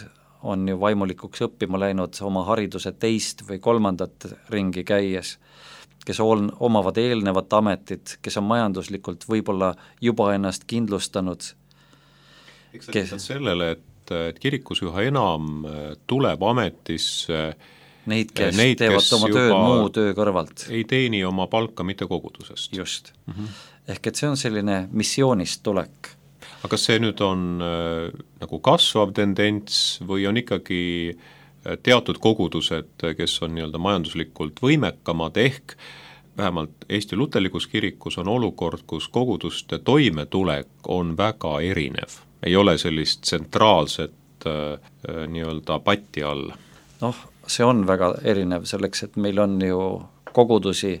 on ju vaimulikuks õppima läinud oma hariduse 2. või 3. ringi käies, kes omavad eelnevat ametit, kes on majanduslikult võib-olla juba ennast kindlustanud. Eks sa viitad sellele, et kirikus üha enam tuleb ametisse neid, kes teevad oma tööd muu töö kõrvalt. Ei teeni oma palka mitte kogudusest. Just. Ehk et see on selline missioonist tulek. Aga kas see nüüd on nagu kasvav tendents või on ikkagi teatud kogudused, kes on nii-öelda majanduslikult võimekamad, ehk vähemalt Eesti Luterlikus kirikus on olukord, kus koguduste toimetulek on väga erinev, ei ole sellist tsentraalset nii-öelda patti all? Noh, see on väga erinev selleks, et meil on ju kogudusi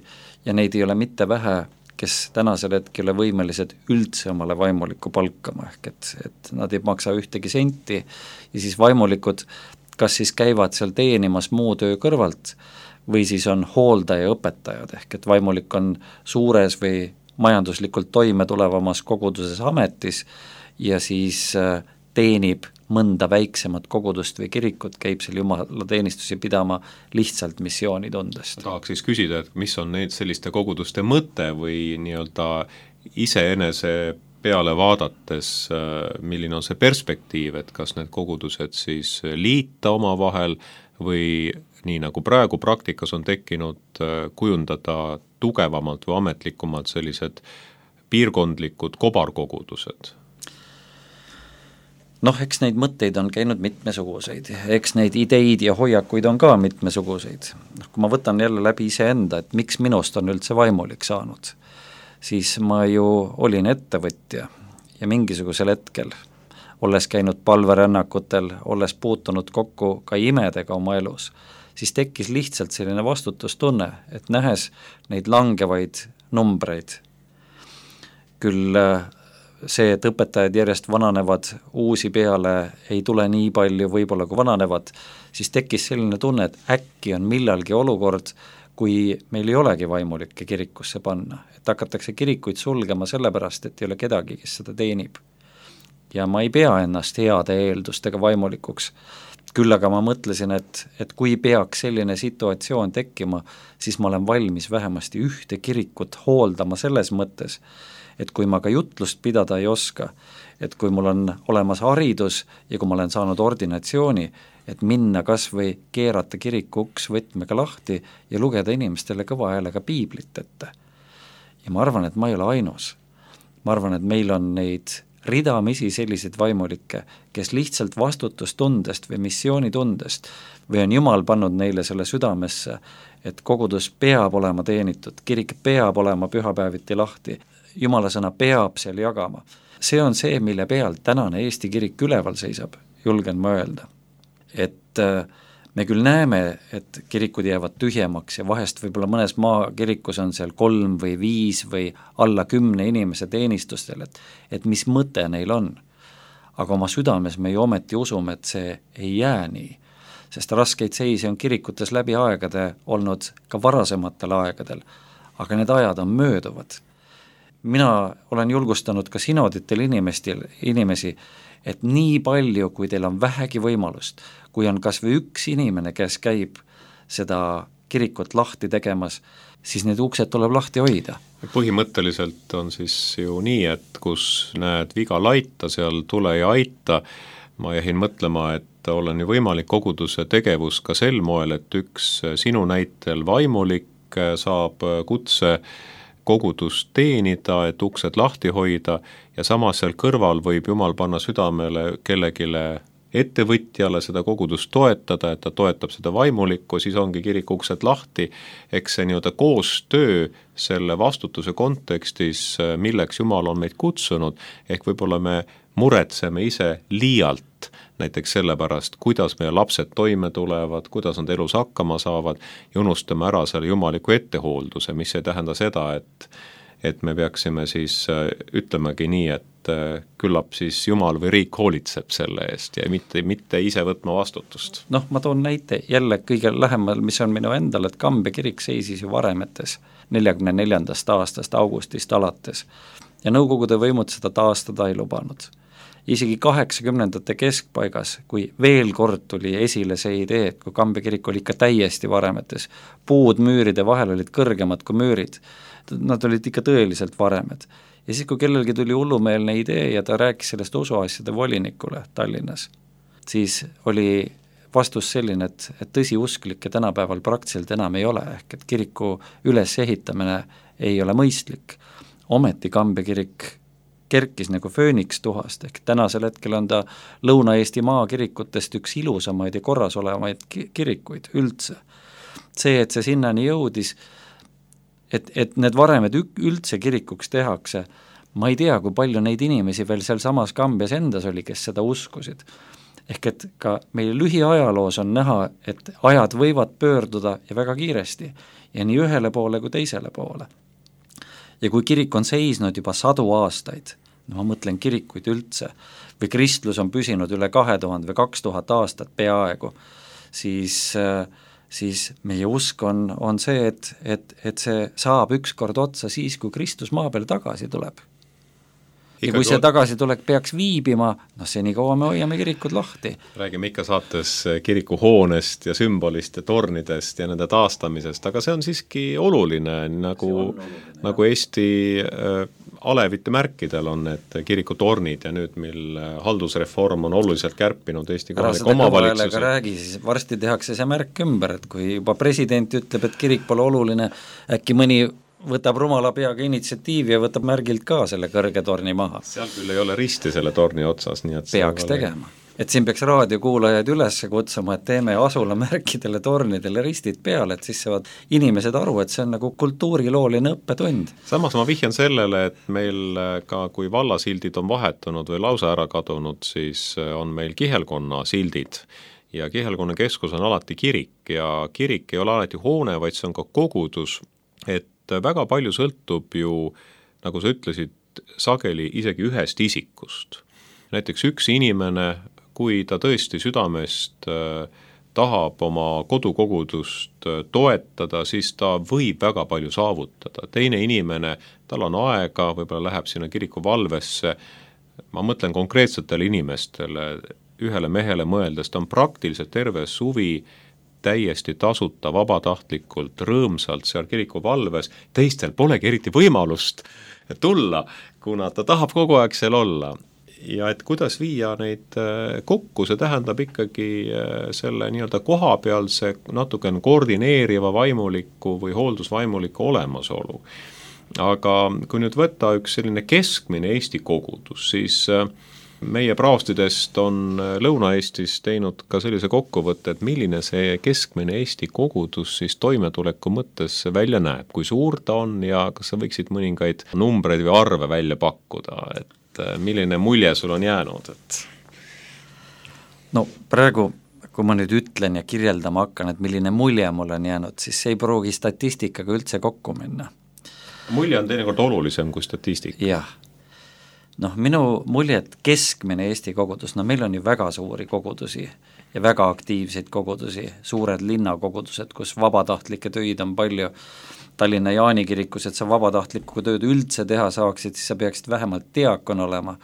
ja neid ei ole mitte vähe, kes tänasel hetkel ei ole võimelised üldse omale vaimulikku palkama, ehk et nad ei maksa ühtegi senti ja siis vaimulikud kas siis käivad seal teenimas muu töö kõrvalt või siis on hooldaja õpetajad, ehk et vaimulik on suures või majanduslikult toime tulevamas koguduses ametis ja siis teenib mõnda väiksemat kogudust või kirikut, käib seal jumalateenistusi pidama lihtsalt missioonitundest. Tahaks siis küsida, et mis on need selliste koguduste mõte või nii-öelda iseenese peale vaadates, milline on see perspektiiv, et kas need kogudused siis liita omavahel või nii nagu praegu praktikas on tekkinud, kujundada tugevamalt või ametlikumalt sellised piirkondlikud kobarkogudused? Noh, eks neid mõtteid on käinud mitmesuguseid, eks neid ideid ja hoiakuid on ka mitmesuguseid. Kui ma võtan jälle läbi iseenda, et miks minust on üldse vaimulik saanud, siis ma ju olin ettevõtja ja mingisugusel hetkel, olles käinud palverännakutel, olles puutunud kokku ka imedega oma elus, siis tekkis lihtsalt selline vastutustunne, et nähes neid langevaid numbreid, küll see, et õpetajad järjest vananevad, uusi peale ei tule nii palju võib-olla kui vananevad, siis tekkis selline tunne, et äkki on millalgi olukord, kui meil ei olegi vaimulikke kirikusse panna, et hakatakse kirikuid sulgema sellepärast, et ei ole kedagi, kes seda teenib. Ja ma ei pea ennast heade eeldustega vaimulikuks, küll aga ma mõtlesin, et kui peaks selline situatsioon tekkima, siis ma olen valmis vähemasti ühte kirikut hooldama selles mõttes, et kui ma ka jutlust pidada ei oska, et kui mul on olemas haridus ja kui ma olen saanud ordinatsiooni, et minna kas või keerata kiriku uks võtmega lahti ja lugeda inimestele kõva häälega piiblit ette. Ja ma arvan, et ma ei ole ainus. Ma arvan, et meil on neid ridamisi selliseid vaimulikke, kes lihtsalt vastutustundest või missioonitundest või on Jumal pannud neile selle südamesse, et kogudus peab olema teenitud, kirik peab olema pühapäeviti lahti, Jumala sõna peab seal jagama. See on see, mille peal tänane Eesti kirik üleval seisab, julgen ma öelda. Et me küll näeme, et kirikud jäävad tühjemaks ja vahest võib-olla mõnes maakirikus on seal 3 või 5 või alla 10 inimese teenistustel, et mis mõte neil on. Aga oma südames me ju ometi usume, et see ei jää nii, sest raskeid seisi on kirikutes läbi aegade olnud ka varasematel aegadel, aga need ajad on mööduvad. Mina olen julgustanud ka sinoditel inimesi, et nii palju, kui teil on vähegi võimalust, kui on kas või üks inimene, kes käib seda kirikut lahti tegemas, siis need uksed tuleb lahti hoida. Põhimõtteliselt on siis ju nii, et kus näed viga laita, seal tule ja aita. Ma jäin mõtlema, et olen ju võimalik koguduse tegevus ka sel moel, et üks sinu näitel vaimulik saab kutse kogudust teenida, et uksed lahti hoida ja samas seal kõrval võib Jumal panna südamele kellegile ettevõtjale seda kogudust toetada, et ta toetab seda vaimulikku, siis ongi kiriku uksed lahti, eks see nii-öelda koostöö selle vastutuse kontekstis, milleks Jumal on meid kutsunud, ehk võib-olla me muretseme ise liialt näiteks sellepärast, kuidas meie lapsed toime tulevad, kuidas nad elus hakkama saavad ja unustame ära selle jumaliku ettehoolduse, mis ei tähenda seda, et me peaksime siis ütlemegi nii, et küllap siis Jumal või riik hoolitseb selle eest ja mitte ise võtma vastutust. Noh, ma toon näite jälle kõige lähemal, mis on minu endal, et Kambja kirik seisis ju Varemetes 44. aastast augustist alates ja Nõukogude võimud seda taastada ei lubanud. isegi 80ndate keskpaigas, kui veel kord tuli esile see idee, et kui Kambja kirik oli ikka täiesti varemetes, puud müüride vahel olid kõrgemad kui müürid, nad olid ikka tõeliselt varemed. Ja siis, kui kellelgi tuli hullumeelne idee ja ta rääkis sellest usuasjade volinikule Tallinnas, siis oli vastus selline, et tõsiusklikke tänapäeval praktiliselt enam ei ole, ehk et kiriku ülesehitamine ei ole mõistlik. Ometi Kambja kirik kerkis nagu fööniks tuhast, ehk tänasel hetkel on ta Lõuna-Eesti maakirikutest üks ilusamaid ja korras olevaid kirikuid üldse. See, et see sinnani jõudis, et need varemed üldse kirikuks tehakse, ma ei tea, kui palju neid inimesi veel seal samas Kambjas endas oli, kes seda uskusid. Ehk et ka meie lühiajaloos on näha, et ajad võivad pöörduda ja väga kiiresti ja nii ühele poole kui teisele poole. Ja kui kirik on seisnud juba 100 aastaid, no ma mõtlen kirikuid üldse, või kristlus on püsinud üle 2000 või 2000 aastat peaaegu, siis meie usk on see, et see saab ükskord otsa siis, kui Kristus maa peale tagasi tuleb. Ja kui see tagasitulek peaks viibima, senikaua me hoiame kirikud lahti. Räägime ikka saates kirikuhoonest ja sümbolist ja tornidest ja nende taastamisest, aga see on siiski oluline, nagu Eesti alevite märkidel on need kirikutornid ja nüüd, mil haldusreform on oluliselt kärpinud Eesti kohaliku omavalitsuse. Räägi, siis varsti tehakse see märk ümber, et kui juba president ütleb, et kirik pole oluline, äkki mõni võtab rumala peaga initsiatiivi ja võtab märgilt ka selle kõrge torni maha. Seal küll ei ole risti selle torni otsas, nii et peaks tegema. Et siin peaks raadiokuulajaid üles kutsuma, et teeme asulamärkidele tornidele ristid peale, et siis saavad inimesed aru, et see on nagu kultuurilooline õppetund. Samas ma vihjan sellele, et meil ka kui vallasildid on vahetunud või lausa ära kadunud, siis on meil kihelkonna sildid ja kihelkonna keskus on alati kirik ja kirik ei ole alati hoone, vaid see on ka kogudus, et väga palju sõltub ju, nagu sa ütlesid, sageli isegi ühest isikust. Näiteks üks inimene, kui ta tõesti südamest tahab oma kodukogudust toetada, siis ta võib väga palju saavutada. Teine inimene, tal on aega, võib-olla läheb sinna kiriku valvesse, ma mõtlen konkreetsetele inimestele, ühele mehele mõeldes, ta on praktiliselt terve suvi täiesti tasuta, vabatahtlikult, rõõmsalt seal kiriku valves, teistel polegi eriti võimalust tulla, kuna ta tahab kogu aeg seal olla. Ja et kuidas viia neid kokku, see tähendab ikkagi selle nii-öelda kohapealse natuke koordineeriva vaimuliku või hooldusvaimuliku olemasolu. Aga kui nüüd võtta üks selline keskmine Eesti kogudus, siis meie praostidest on Lõuna-Eestis teinud ka sellise kokkuvõtte, et milline see keskmine Eesti kogudus siis toimetuleku mõttes välja näeb, kui suur ta on ja kas sa võiksid mõningaid numbreid või arve välja pakkuda, et milline mulje sul on jäänud? No praegu, kui ma nüüd ütlen ja kirjeldama hakkan, et milline mulje mul on jäänud, siis see ei pruugi statistikaga üldse kokku minna. Mulje on teinekord olulisem kui statistika. Jah. Minu mulje, et keskmine Eesti kogudus, meil on ju väga suuri kogudusi ja väga aktiivseid kogudusi, suured linnakogudused, kus vabatahtlikke töid on palju. Tallinna Jaani kirikus, et sa vabatahtlikku tööd üldse teha saaksid, siis sa peaksid vähemalt diakon olema.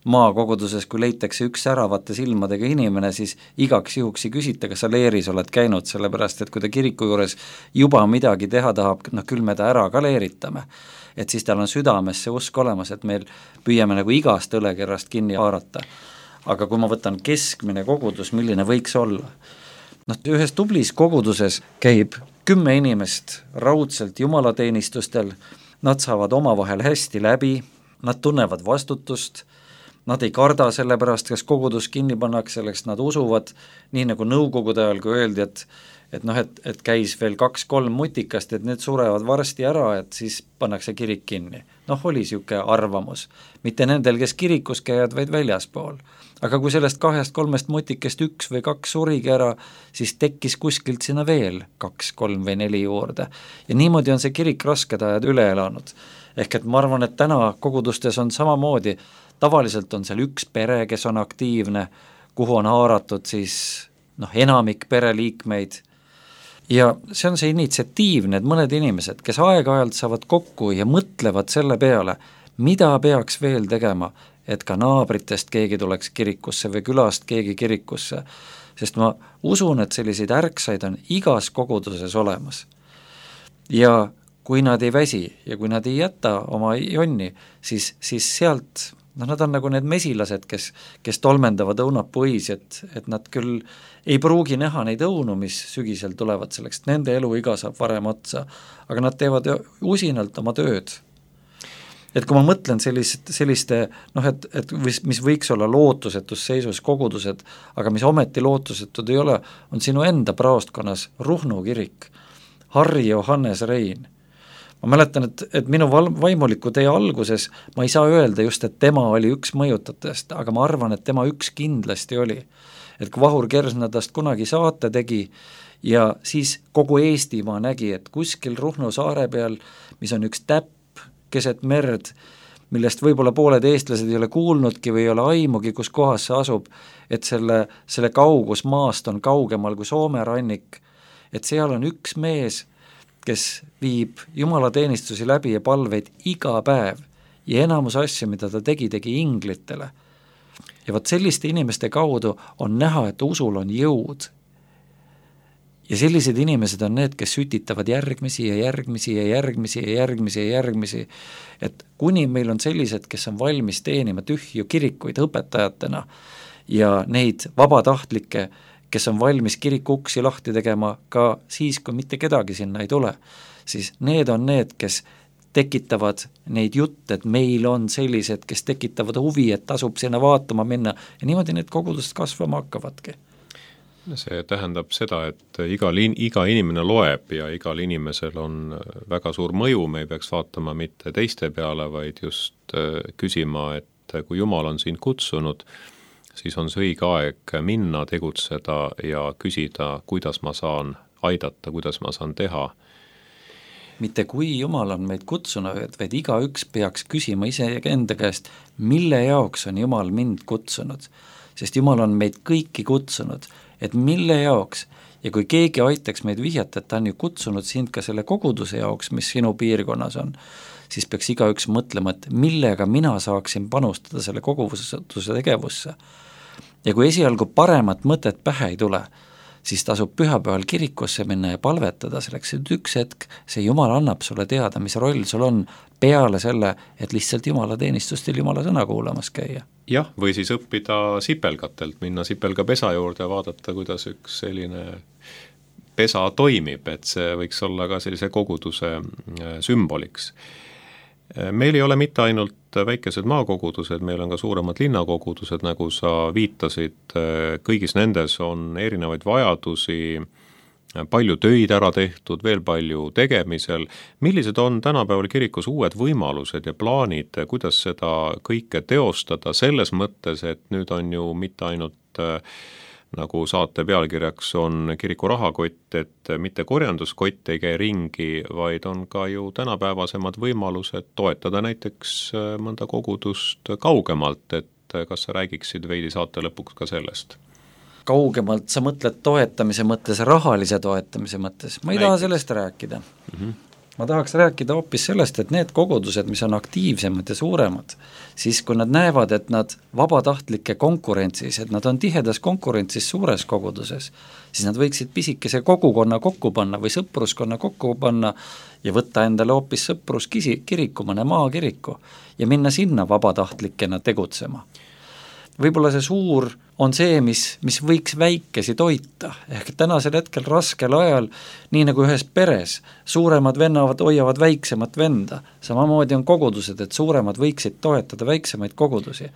Maakoguduses, kui leitakse üks säravate silmadega inimene, siis igaks juhuks ei küsita, kas sa leeris oled käinud, sellepärast, et kui ta kiriku juures juba midagi teha tahab, küll me ta ära ka leeritame. Et siis tal on südames see usk olemas, et meil püüame nagu igast õlekerrast kinni haarata. Aga kui ma võtan keskmine kogudus, milline võiks olla? Ühes tublis koguduses käib 10 inimest raudselt jumalateenistustel, nad saavad omavahel hästi läbi, nad tunnevad vastutust, nad ei karda selle pärast, kas kogudus kinni pannakse, selleks nad usuvad, nii nagu nõukogude ajal, kui öeldi, et käis veel 2-3 mutikast, et need surevad varsti ära, et siis pannakse kirik kinni. Oli siuke arvamus. Mitte nendel, kes kirikus käivad, vaid väljaspool. Aga kui sellest 2-3 mutikest 1 või 2 surigi ära, siis tekkis kuskilt sinna veel 2, 3 või 4 juurde. Ja niimoodi on see kirik rasked ajad üle elanud. Ehk et ma arvan, et täna kogudustes on samamoodi, tavaliselt on seal üks pere, kes on aktiivne, kuhu on haaratud siis enamik pereliikmeid. Ja see on see initsiatiiv, need mõned inimesed, kes aeg-ajalt saavad kokku ja mõtlevad selle peale, mida peaks veel tegema, et ka naabritest keegi tuleks kirikusse või külast keegi kirikusse, sest ma usun, et selliseid ärksaid on igas koguduses olemas. Ja kui nad ei väsi ja kui nad ei jäta oma jonni, siis sealt, nad on nagu need mesilased, kes tolmendavad õunapõis, et nad küll ei pruugi näha neid õunu, mis sügisel tulevad selleks, et nende eluiga saab varem otsa, aga nad teevad usinalt oma tööd. Et kui ma mõtlen selliste et mis võiks olla lootusetus seisus kogudused, aga mis ometi lootusetud ei ole, on sinu enda praostkonnas Ruhnu kirik, Harri Johannes Rein. Ma mäletan, et minu vaimuliku tee alguses ma ei saa öelda just, et tema oli üks mõjutatest, aga ma arvan, et tema üks kindlasti oli. Et kui Vahur Kersna tast kunagi saate tegi ja siis kogu Eestimaa nägi, et kuskil Ruhnu saare peal, mis on üks täpp keset merd, millest võib-olla pooled eestlased ei ole kuulnudki või ei ole aimugi, kus kohas see asub, et selle kaugus maast on kaugemal kui Soome rannik, et seal on üks mees, kes viib jumalateenistusi läbi ja palveid iga päev ja enamus asju, mida ta tegi inglitele. Ja võt selliste inimeste kaudu on näha, et usul on jõud. Ja sellised inimesed on need, kes sütitavad järgmisi ja järgmisi ja järgmisi ja järgmisi ja järgmisi, et kuni meil on sellised, kes on valmis teenima tühju kirikuid õpetajatena ja neid vabatahtlikke, kes on valmis kiriku uksi lahti tegema ka siis, kui mitte kedagi sinna ei tule, siis need on need, kes tekitavad neid jutte, et meil on sellised, kes tekitavad huvi, et tasub sinna vaatama minna ja niimoodi need kogudused kasvama hakkavadki. See tähendab seda, et iga inimene loeb ja igal inimesel on väga suur mõju, me ei peaks vaatama mitte teiste peale, vaid just küsima, et kui Jumal on sind kutsunud, siis on see õige aeg minna, tegutseda ja küsida, kuidas ma saan aidata, kuidas ma saan teha. Mitte kui Jumal on meid kutsunud, vaid igaüks peaks küsima ise enda käest, mille jaoks on Jumal mind kutsunud, sest Jumal on meid kõiki kutsunud, et mille jaoks, ja kui keegi aitaks meid vihjata, et ta on ju kutsunud sind ka selle koguduse jaoks, mis sinu piirkonnas on, siis peaks igaüks mõtlema, et millega mina saaksin panustada selle koguduse tegevusse. Ja kui esialgu paremat mõtet pähe ei tule, siis tasub pühapäeval kirikusse minna ja palvetada selleks, et üks hetk see Jumal annab sulle teada, mis roll sul on peale selle, et lihtsalt Jumala teenistustel Jumala sõna kuulamas käia. Jah, või siis õppida sipelgatelt, minna sipelga pesa juurde ja vaadata, kuidas üks selline pesa toimib, et see võiks olla ka sellise koguduse sümboliks. Meil ei ole mitte ainult väikesed maakogudused, meil on ka suuremad linnakogudused, nagu sa viitasid, kõigis nendes on erinevaid vajadusi, palju töid ära tehtud, veel palju tegemisel. Millised on tänapäeval kirikus uued võimalused ja plaanid, kuidas seda kõike teostada selles mõttes, et nüüd on ju mitte ainult nagu saate pealkirjaks on kiriku rahakott, et mitte korjanduskott ei käi ringi, vaid on ka ju tänapäevasemad võimalused toetada näiteks mõnda kogudust kaugemalt, et kas sa räägiksid veidi saate lõpuks ka sellest? Kaugemalt sa mõtled toetamise mõttes, rahalise toetamise mõttes, ma ei taha sellest rääkida. Ma tahaks rääkida hoopis sellest, et need kogudused, mis on aktiivsemad ja suuremad, siis kui nad näevad, et nad vabatahtlike konkurentsis, et nad on tihedas konkurentsis suures koguduses, siis nad võiksid pisikese kogukonna kokku panna või sõpruskonna kokku panna ja võtta endale hoopis sõpruskiriku, mõne maakiriku ja minna sinna vabatahtlikena tegutsema. Võib-olla see suur on see, mis võiks väikesi toita, ehk tänasel hetkel raskel ajal, nii nagu ühes peres, suuremad vennavad hoiavad väiksemat venda, samamoodi on kogudused, et suuremad võiksid toetada väiksemaid kogudusi.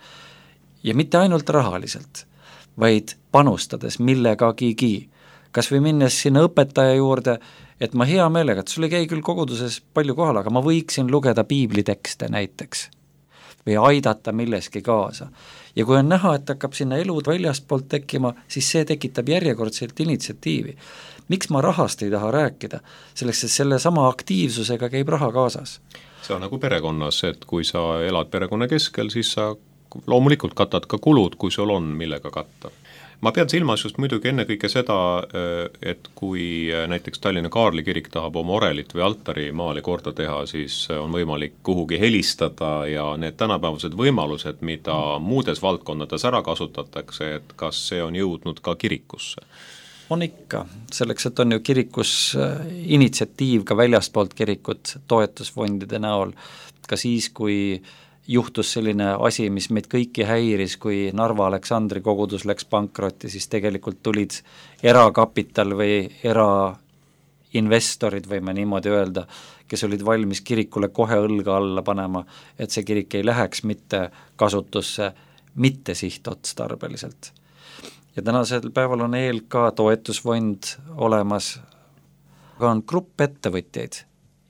Ja mitte ainult rahaliselt, vaid panustades millegagigi, kas või minnes sinna õpetaja juurde, et ma hea meelega, et sul ei käi küll koguduses palju kohal, aga ma võiksin lugeda piiblitekste näiteks või aidata milleski kaasa. Ja kui on näha, et hakkab sinna elud väljastpoolt tekkima, siis see tekitab järjekordselt initsiatiivi. Miks ma rahast ei taha rääkida? Selleks, et selle sama aktiivsusega käib raha kaasas. See on nagu perekonnas, et kui sa elad perekonna keskel, siis sa loomulikult katad ka kulud, kui sul on millega katta. ma pean silmas just muidugi ennekõike seda, et kui näiteks Tallinna Kaarli kirik tahab oma orelit või altari maali korda teha, siis on võimalik kuhugi helistada ja need tänapäevased võimalused, mida muudes valdkondades ära kasutatakse, et kas see on jõudnud ka kirikusse? On ikka, selleks, et on ju kirikus initsiatiiv ka väljastpoolt kirikut toetusfondide näol, ka siis, kui juhtus selline asi, mis meid kõiki häiris, kui Narva Aleksandri kogudus läks pankrotti, siis tegelikult tulid erakapital või erainvestorid, võime niimoodi öelda, kes olid valmis kirikule kohe õlga alla panema, et see kirik ei läheks mitte kasutusse, mitte sihtotstarbeliselt. Ja tänasel päeval on ELK toetusfond olemas, aga on grupp ettevõtjaid,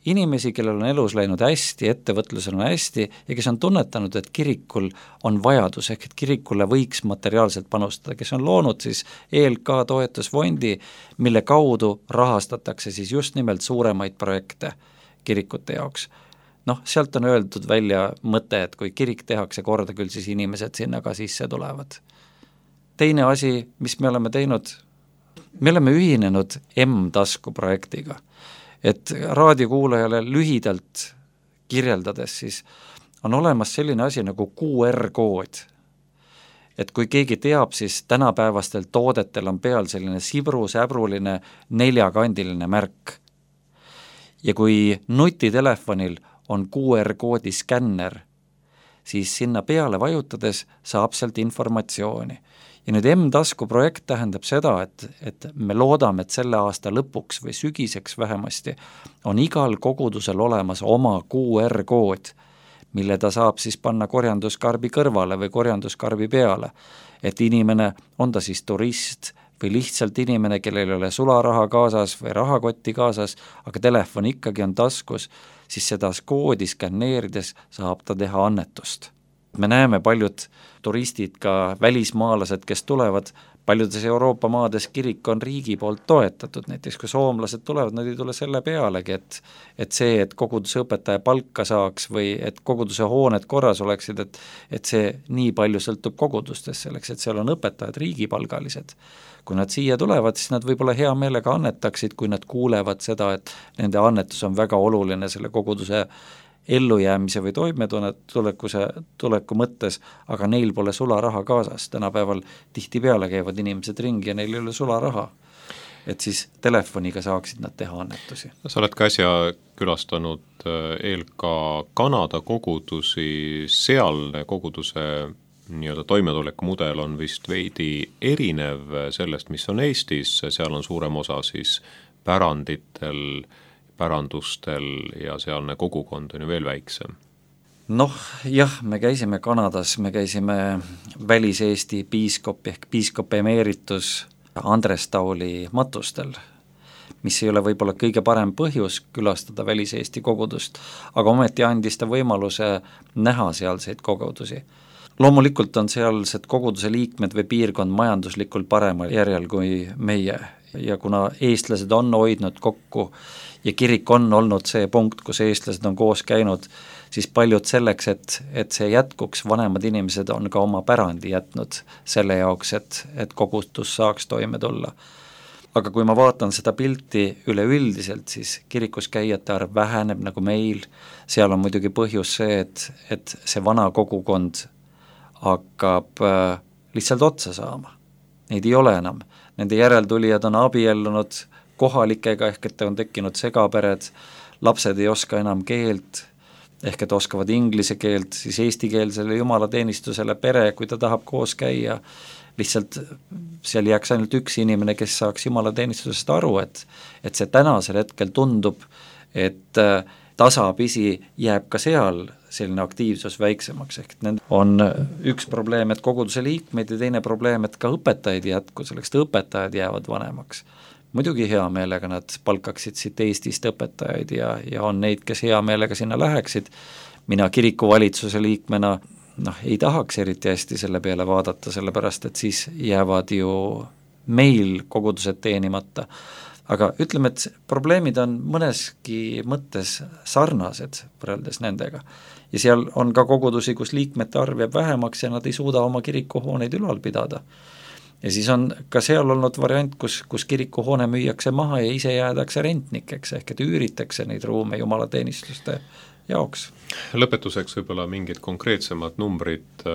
inimesi, kellel on elus läinud hästi, ettevõtlusel on hästi ja kes on tunnetanud, et kirikul on vajadus, ehk et kirikule võiks materiaalselt panustada, kes on loonud siis ELK toetusfondi, mille kaudu rahastatakse siis just nimelt suuremaid projekte kirikute jaoks. Sealt on öeldud välja mõte, et kui kirik tehakse korda, küll siis inimesed sinna ka sisse tulevad. Teine asi, mis me oleme teinud, me oleme ühinenud M-tasku projektiga, et raadiokuulajale lühidalt kirjeldades siis on olemas selline asi nagu QR-kood. Et kui keegi teab, siis tänapäevastel toodetel on peal selline sibru-säbruline 4-kandiline märk. Ja kui nutitelefonil on QR-koodi skänner, siis sinna peale vajutades saab sealt informatsiooni. Ja nüüd M-tasku projekt tähendab seda, et me loodame, et selle aasta lõpuks või sügiseks vähemasti on igal kogudusel olemas oma QR-kood, mille ta saab siis panna korjanduskarbi kõrvale või korjanduskarbi peale. Et inimene, on ta siis turist või lihtsalt inimene, kellel ei ole sularaha kaasas või rahakotti kaasas, aga telefon ikkagi on taskus, siis seda koodi skänneerides saab ta teha annetust. Me näeme paljud turistid, ka välismaalased, kes tulevad, paljudes Euroopa maades kirik on riigi poolt toetatud, näiteks kui soomlased tulevad, nad ei tule selle pealegi, et see, et koguduse õpetaja palka saaks või et koguduse hooned korras oleksid, et see nii palju sõltub kogudustest selleks, et seal on õpetajad riigipalgalised. Kui nad siia tulevad, siis nad võib-olla hea meelega annetaksid, kui nad kuulevad seda, et nende annetus on väga oluline selle koguduse ellujäämise või tuleku mõttes, aga neil pole sularaha kaasas. Tänapäeval tihtipeale käivad inimesed ringi ja neil ei ole sularaha. Et siis telefoniga saaksid nad teha annetusi. Sa oled ka äsja külastanud ELK Kanada kogudusi, sealne koguduse nii-öelda toimetuleku mudel on vist veidi erinev sellest, mis on Eestis, seal on suurem osa siis päranditel, pärandustel ja sealne kogukond on ju veel väiksem. Jah, me käisime Kanadas, me käisime Välis-Eesti piiskop ehk piiskop emeritus Andres Tauli matustel, mis ei ole võib-olla kõige parem põhjus külastada Välis-Eesti kogudust, aga ometi andis ta võimaluse näha sealseid kogudusi. Loomulikult on sealsed koguduse liikmed või piirkond majanduslikult paremal järjel kui meie ja kuna eestlased on hoidnud kokku ja kirik on olnud see punkt, kus eestlased on koos käinud, siis paljud selleks, et see jätkuks, vanemad inimesed on ka oma pärandi jätnud selle jaoks, et kogudus saaks toime tulla. Aga kui ma vaatan seda pilti üleüldiselt, siis kirikus käijate arv väheneb nagu meil, seal on muidugi põhjus see, et see vana kogukond hakkab lihtsalt otsa saama. Neid ei ole enam. Nende järeltulijad on abiellunud kohalikega, ehk et on tekkinud segapered, lapsed ei oska enam keelt, ehk et oskavad inglise keelt, siis eestikeelsele jumalateenistusele pere, kui ta tahab koos käia, lihtsalt seal jääks ainult üks inimene, kes saaks jumalateenistusest aru, et see tänasel hetkel tundub, et tasapisi jääb ka seal selline aktiivsus väiksemaks, ehk et on üks probleem, et koguduse liikmeid ja teine probleem, et ka õpetajaid jätku, selleks et õpetajad jäävad vanemaks. Muidugi hea meelega nad palkaksid siit Eestist õpetajaid ja on neid, kes hea meelega sinna läheksid. Mina kirikuvalitsuse liikmena ei tahaks eriti hästi selle peale vaadata, sellepärast et siis jäävad ju meil kogudused teenimata. Aga ütleme, et probleemid on mõneski mõttes sarnased võrreldes nendega. Ja seal on ka kogudusi, kus liikmete arv jääb vähemaks ja nad ei suuda oma kirikuhooneid ülal pidada. Ja siis on ka seal olnud variant, kus kirikuhoone müüakse maha ja ise jäädakse rentnikeks, ehk et üüritakse neid ruume jumalateenistuste jaoks. Lõpetuseks võib-olla mingid konkreetsemad numbrid,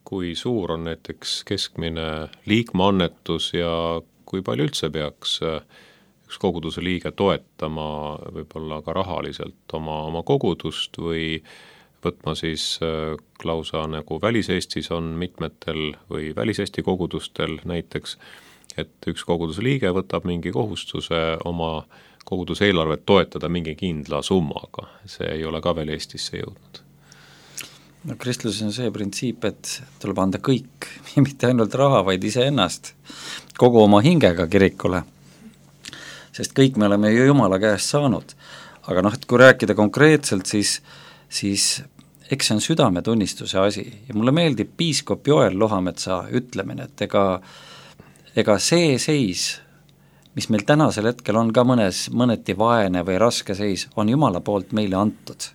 kui suur on näiteks keskmine liikmeannetus ja kui palju üldse peaks üks koguduse liige toetama võib-olla ka rahaliselt oma kogudust või võtma siis lausa nagu Välis-Eestis on mitmetel või Välis-Eesti kogudustel näiteks, et üks koguduse liige võtab mingi kohustuse oma koguduse eelarvet toetada mingi kindla summaga. See ei ole ka veel Eestisse jõudnud. No kristluses on see printsiip, et tuleb anda kõik, mitte ainult raha, vaid iseennast, kogu oma hingega kirikule. Sest kõik me oleme ju Jumala käest saanud. Aga et kui rääkida konkreetselt, siis eks see on südametunnistuse asi ja mulle meeldib piiskop Joel Lohametsa ütlemine, et ega see seis, mis meil tänasel hetkel on ka mõneti vaene või raske seis, on Jumala poolt meile antud.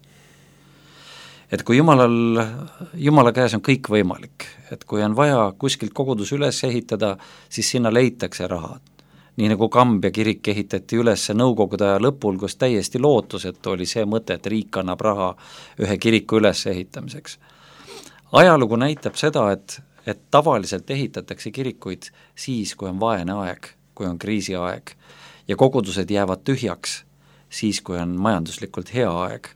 Et kui Jumala käes on kõik võimalik, et kui on vaja kuskilt kogudus üles ehitada, siis sinna leitakse raha. Nii nagu Kambja kirik ehitati üles nõukogude aja lõpul, kus täiesti lootusetu oli see mõte, et riik annab raha ühe kiriku üles ehitamiseks. Ajalugu näitab seda, et tavaliselt ehitatakse kirikuid siis, kui on vaene aeg, kui on kriisiaeg ja kogudused jäävad tühjaks siis, kui on majanduslikult hea aeg.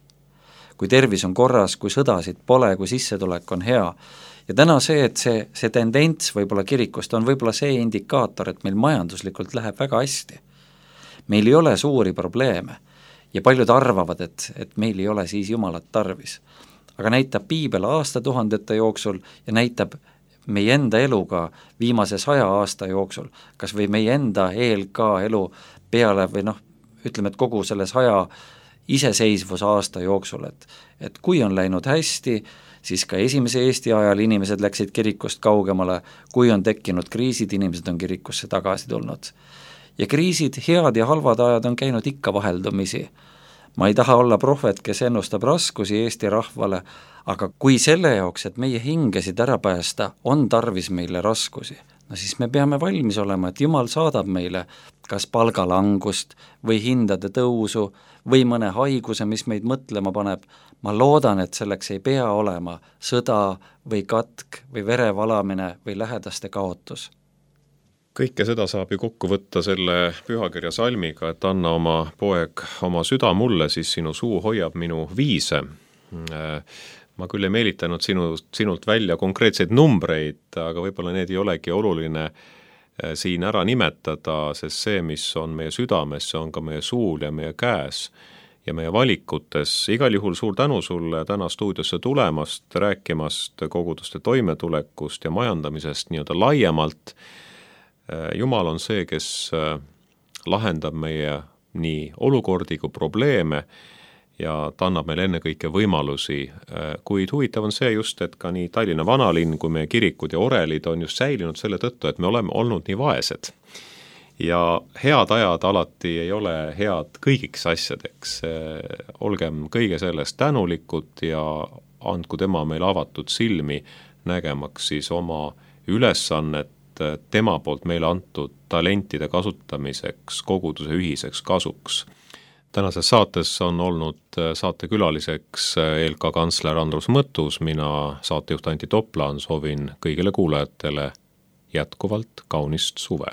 Kui tervis on korras, kui sõdasid pole, kui sissetulek on hea. Ja täna et see tendents võib-olla kirikust on võib-olla see indikaator, et meil majanduslikult läheb väga hästi. Meil ei ole suuri probleeme ja paljud arvavad, et meil ei ole siis Jumalat tarvis. Aga näitab piibel aastatuhandete jooksul ja näitab meie enda eluga viimase 100 aasta jooksul, kas või meie enda ELK elu peale või ütleme, et kogu selle 100 iseseisvuse aasta jooksul, et kui on läinud hästi, siis ka esimese Eesti ajal inimesed läksid kirikust kaugemale, kui on tekkinud kriisid, inimesed on kirikusse tagasi tulnud. Ja kriisid, head ja halvad ajad on käinud ikka vaheldumisi. Ma ei taha olla prohvet, kes ennustab raskusi Eesti rahvale, aga kui selle jaoks, et meie hingesid ära päästa, on tarvis meile raskusi, siis me peame valmis olema, et Jumal saadab meile kas palgalangust või hindade tõusu või mõne haiguse, mis meid mõtlema paneb. Ma loodan, et selleks ei pea olema sõda või katk või verevalamine või lähedaste kaotus. Kõike seda saab ju kokku võtta selle pühakirja salmiga, et anna oma poeg oma süda mulle, siis sinu suu hoiab minu viise. Ma küll ei meelitanud sinult välja konkreetseid numbreid, aga võib-olla need ei olegi oluline siin ära nimetada, sest see, mis on meie südames, see on ka meie suul ja meie käes ja meie valikutes. Igal juhul suur tänu sulle täna stuudiosse tulemast, rääkimast koguduste toimetulekust ja majandamisest nii-öelda laiemalt. Jumal on see, kes lahendab meie nii olukordi kui probleeme ja ta annab meile ennekõike võimalusi, kuid huvitav on see just, et ka nii Tallinna vanalinn kui meie kirikud ja orelid on just säilinud selle tõttu, et me oleme olnud nii vaesed. Ja head ajad alati ei ole head kõigiks asjadeks, olgem kõige sellest tänulikud ja andku tema meil avatud silmi nägemaks siis oma ülesannet tema poolt meile antud talentide kasutamiseks, koguduse ühiseks kasuks. Tänases saates on olnud saatekülaliseks ELK kantsler Andrus Mõttus, mina saatejuht Anti Toplaan, soovin kõigile kuulajatele jätkuvalt kaunist suve.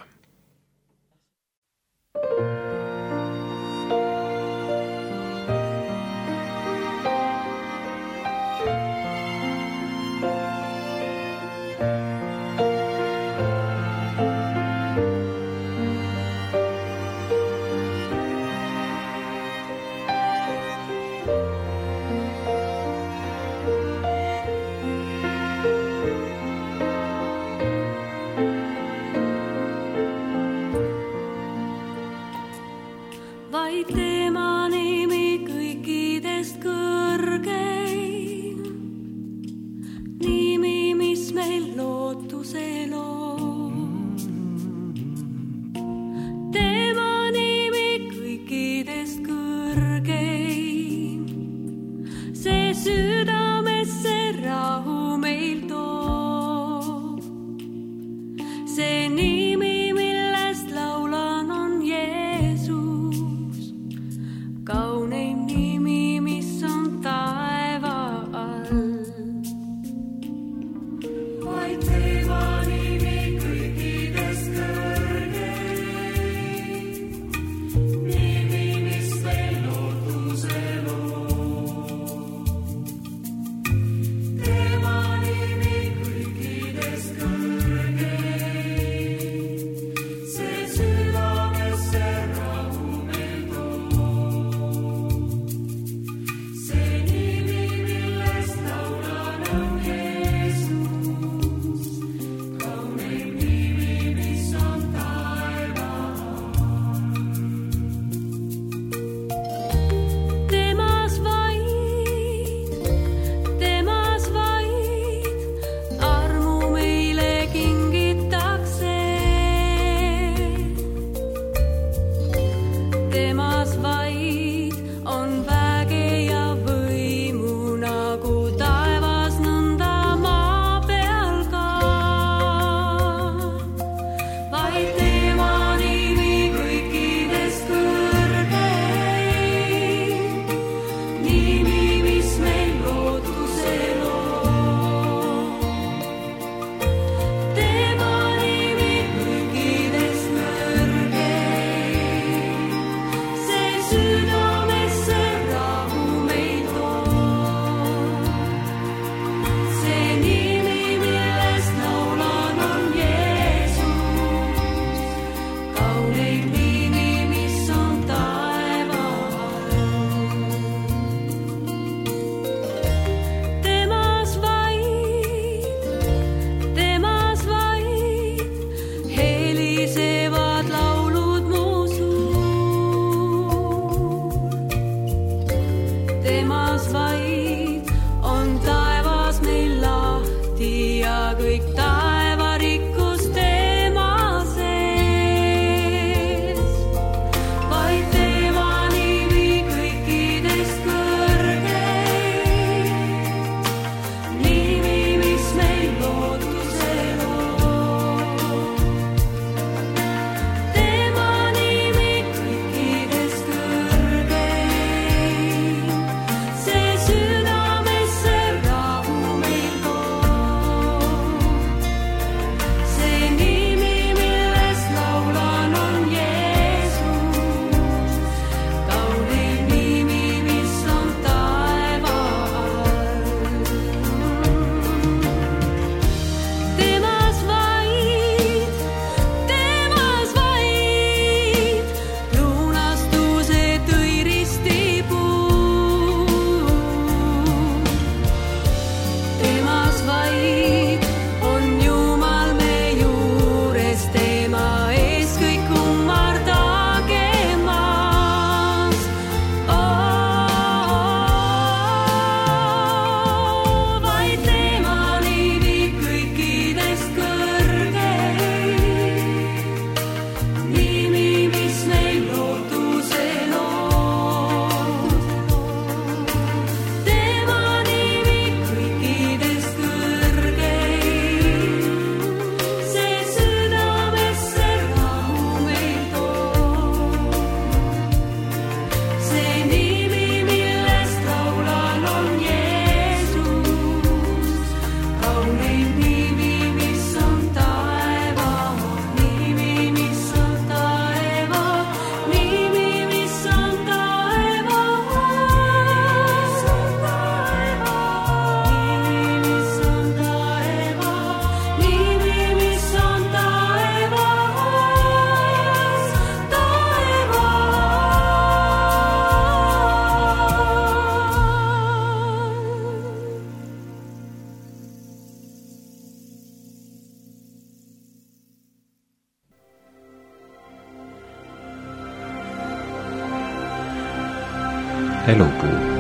Elupuu.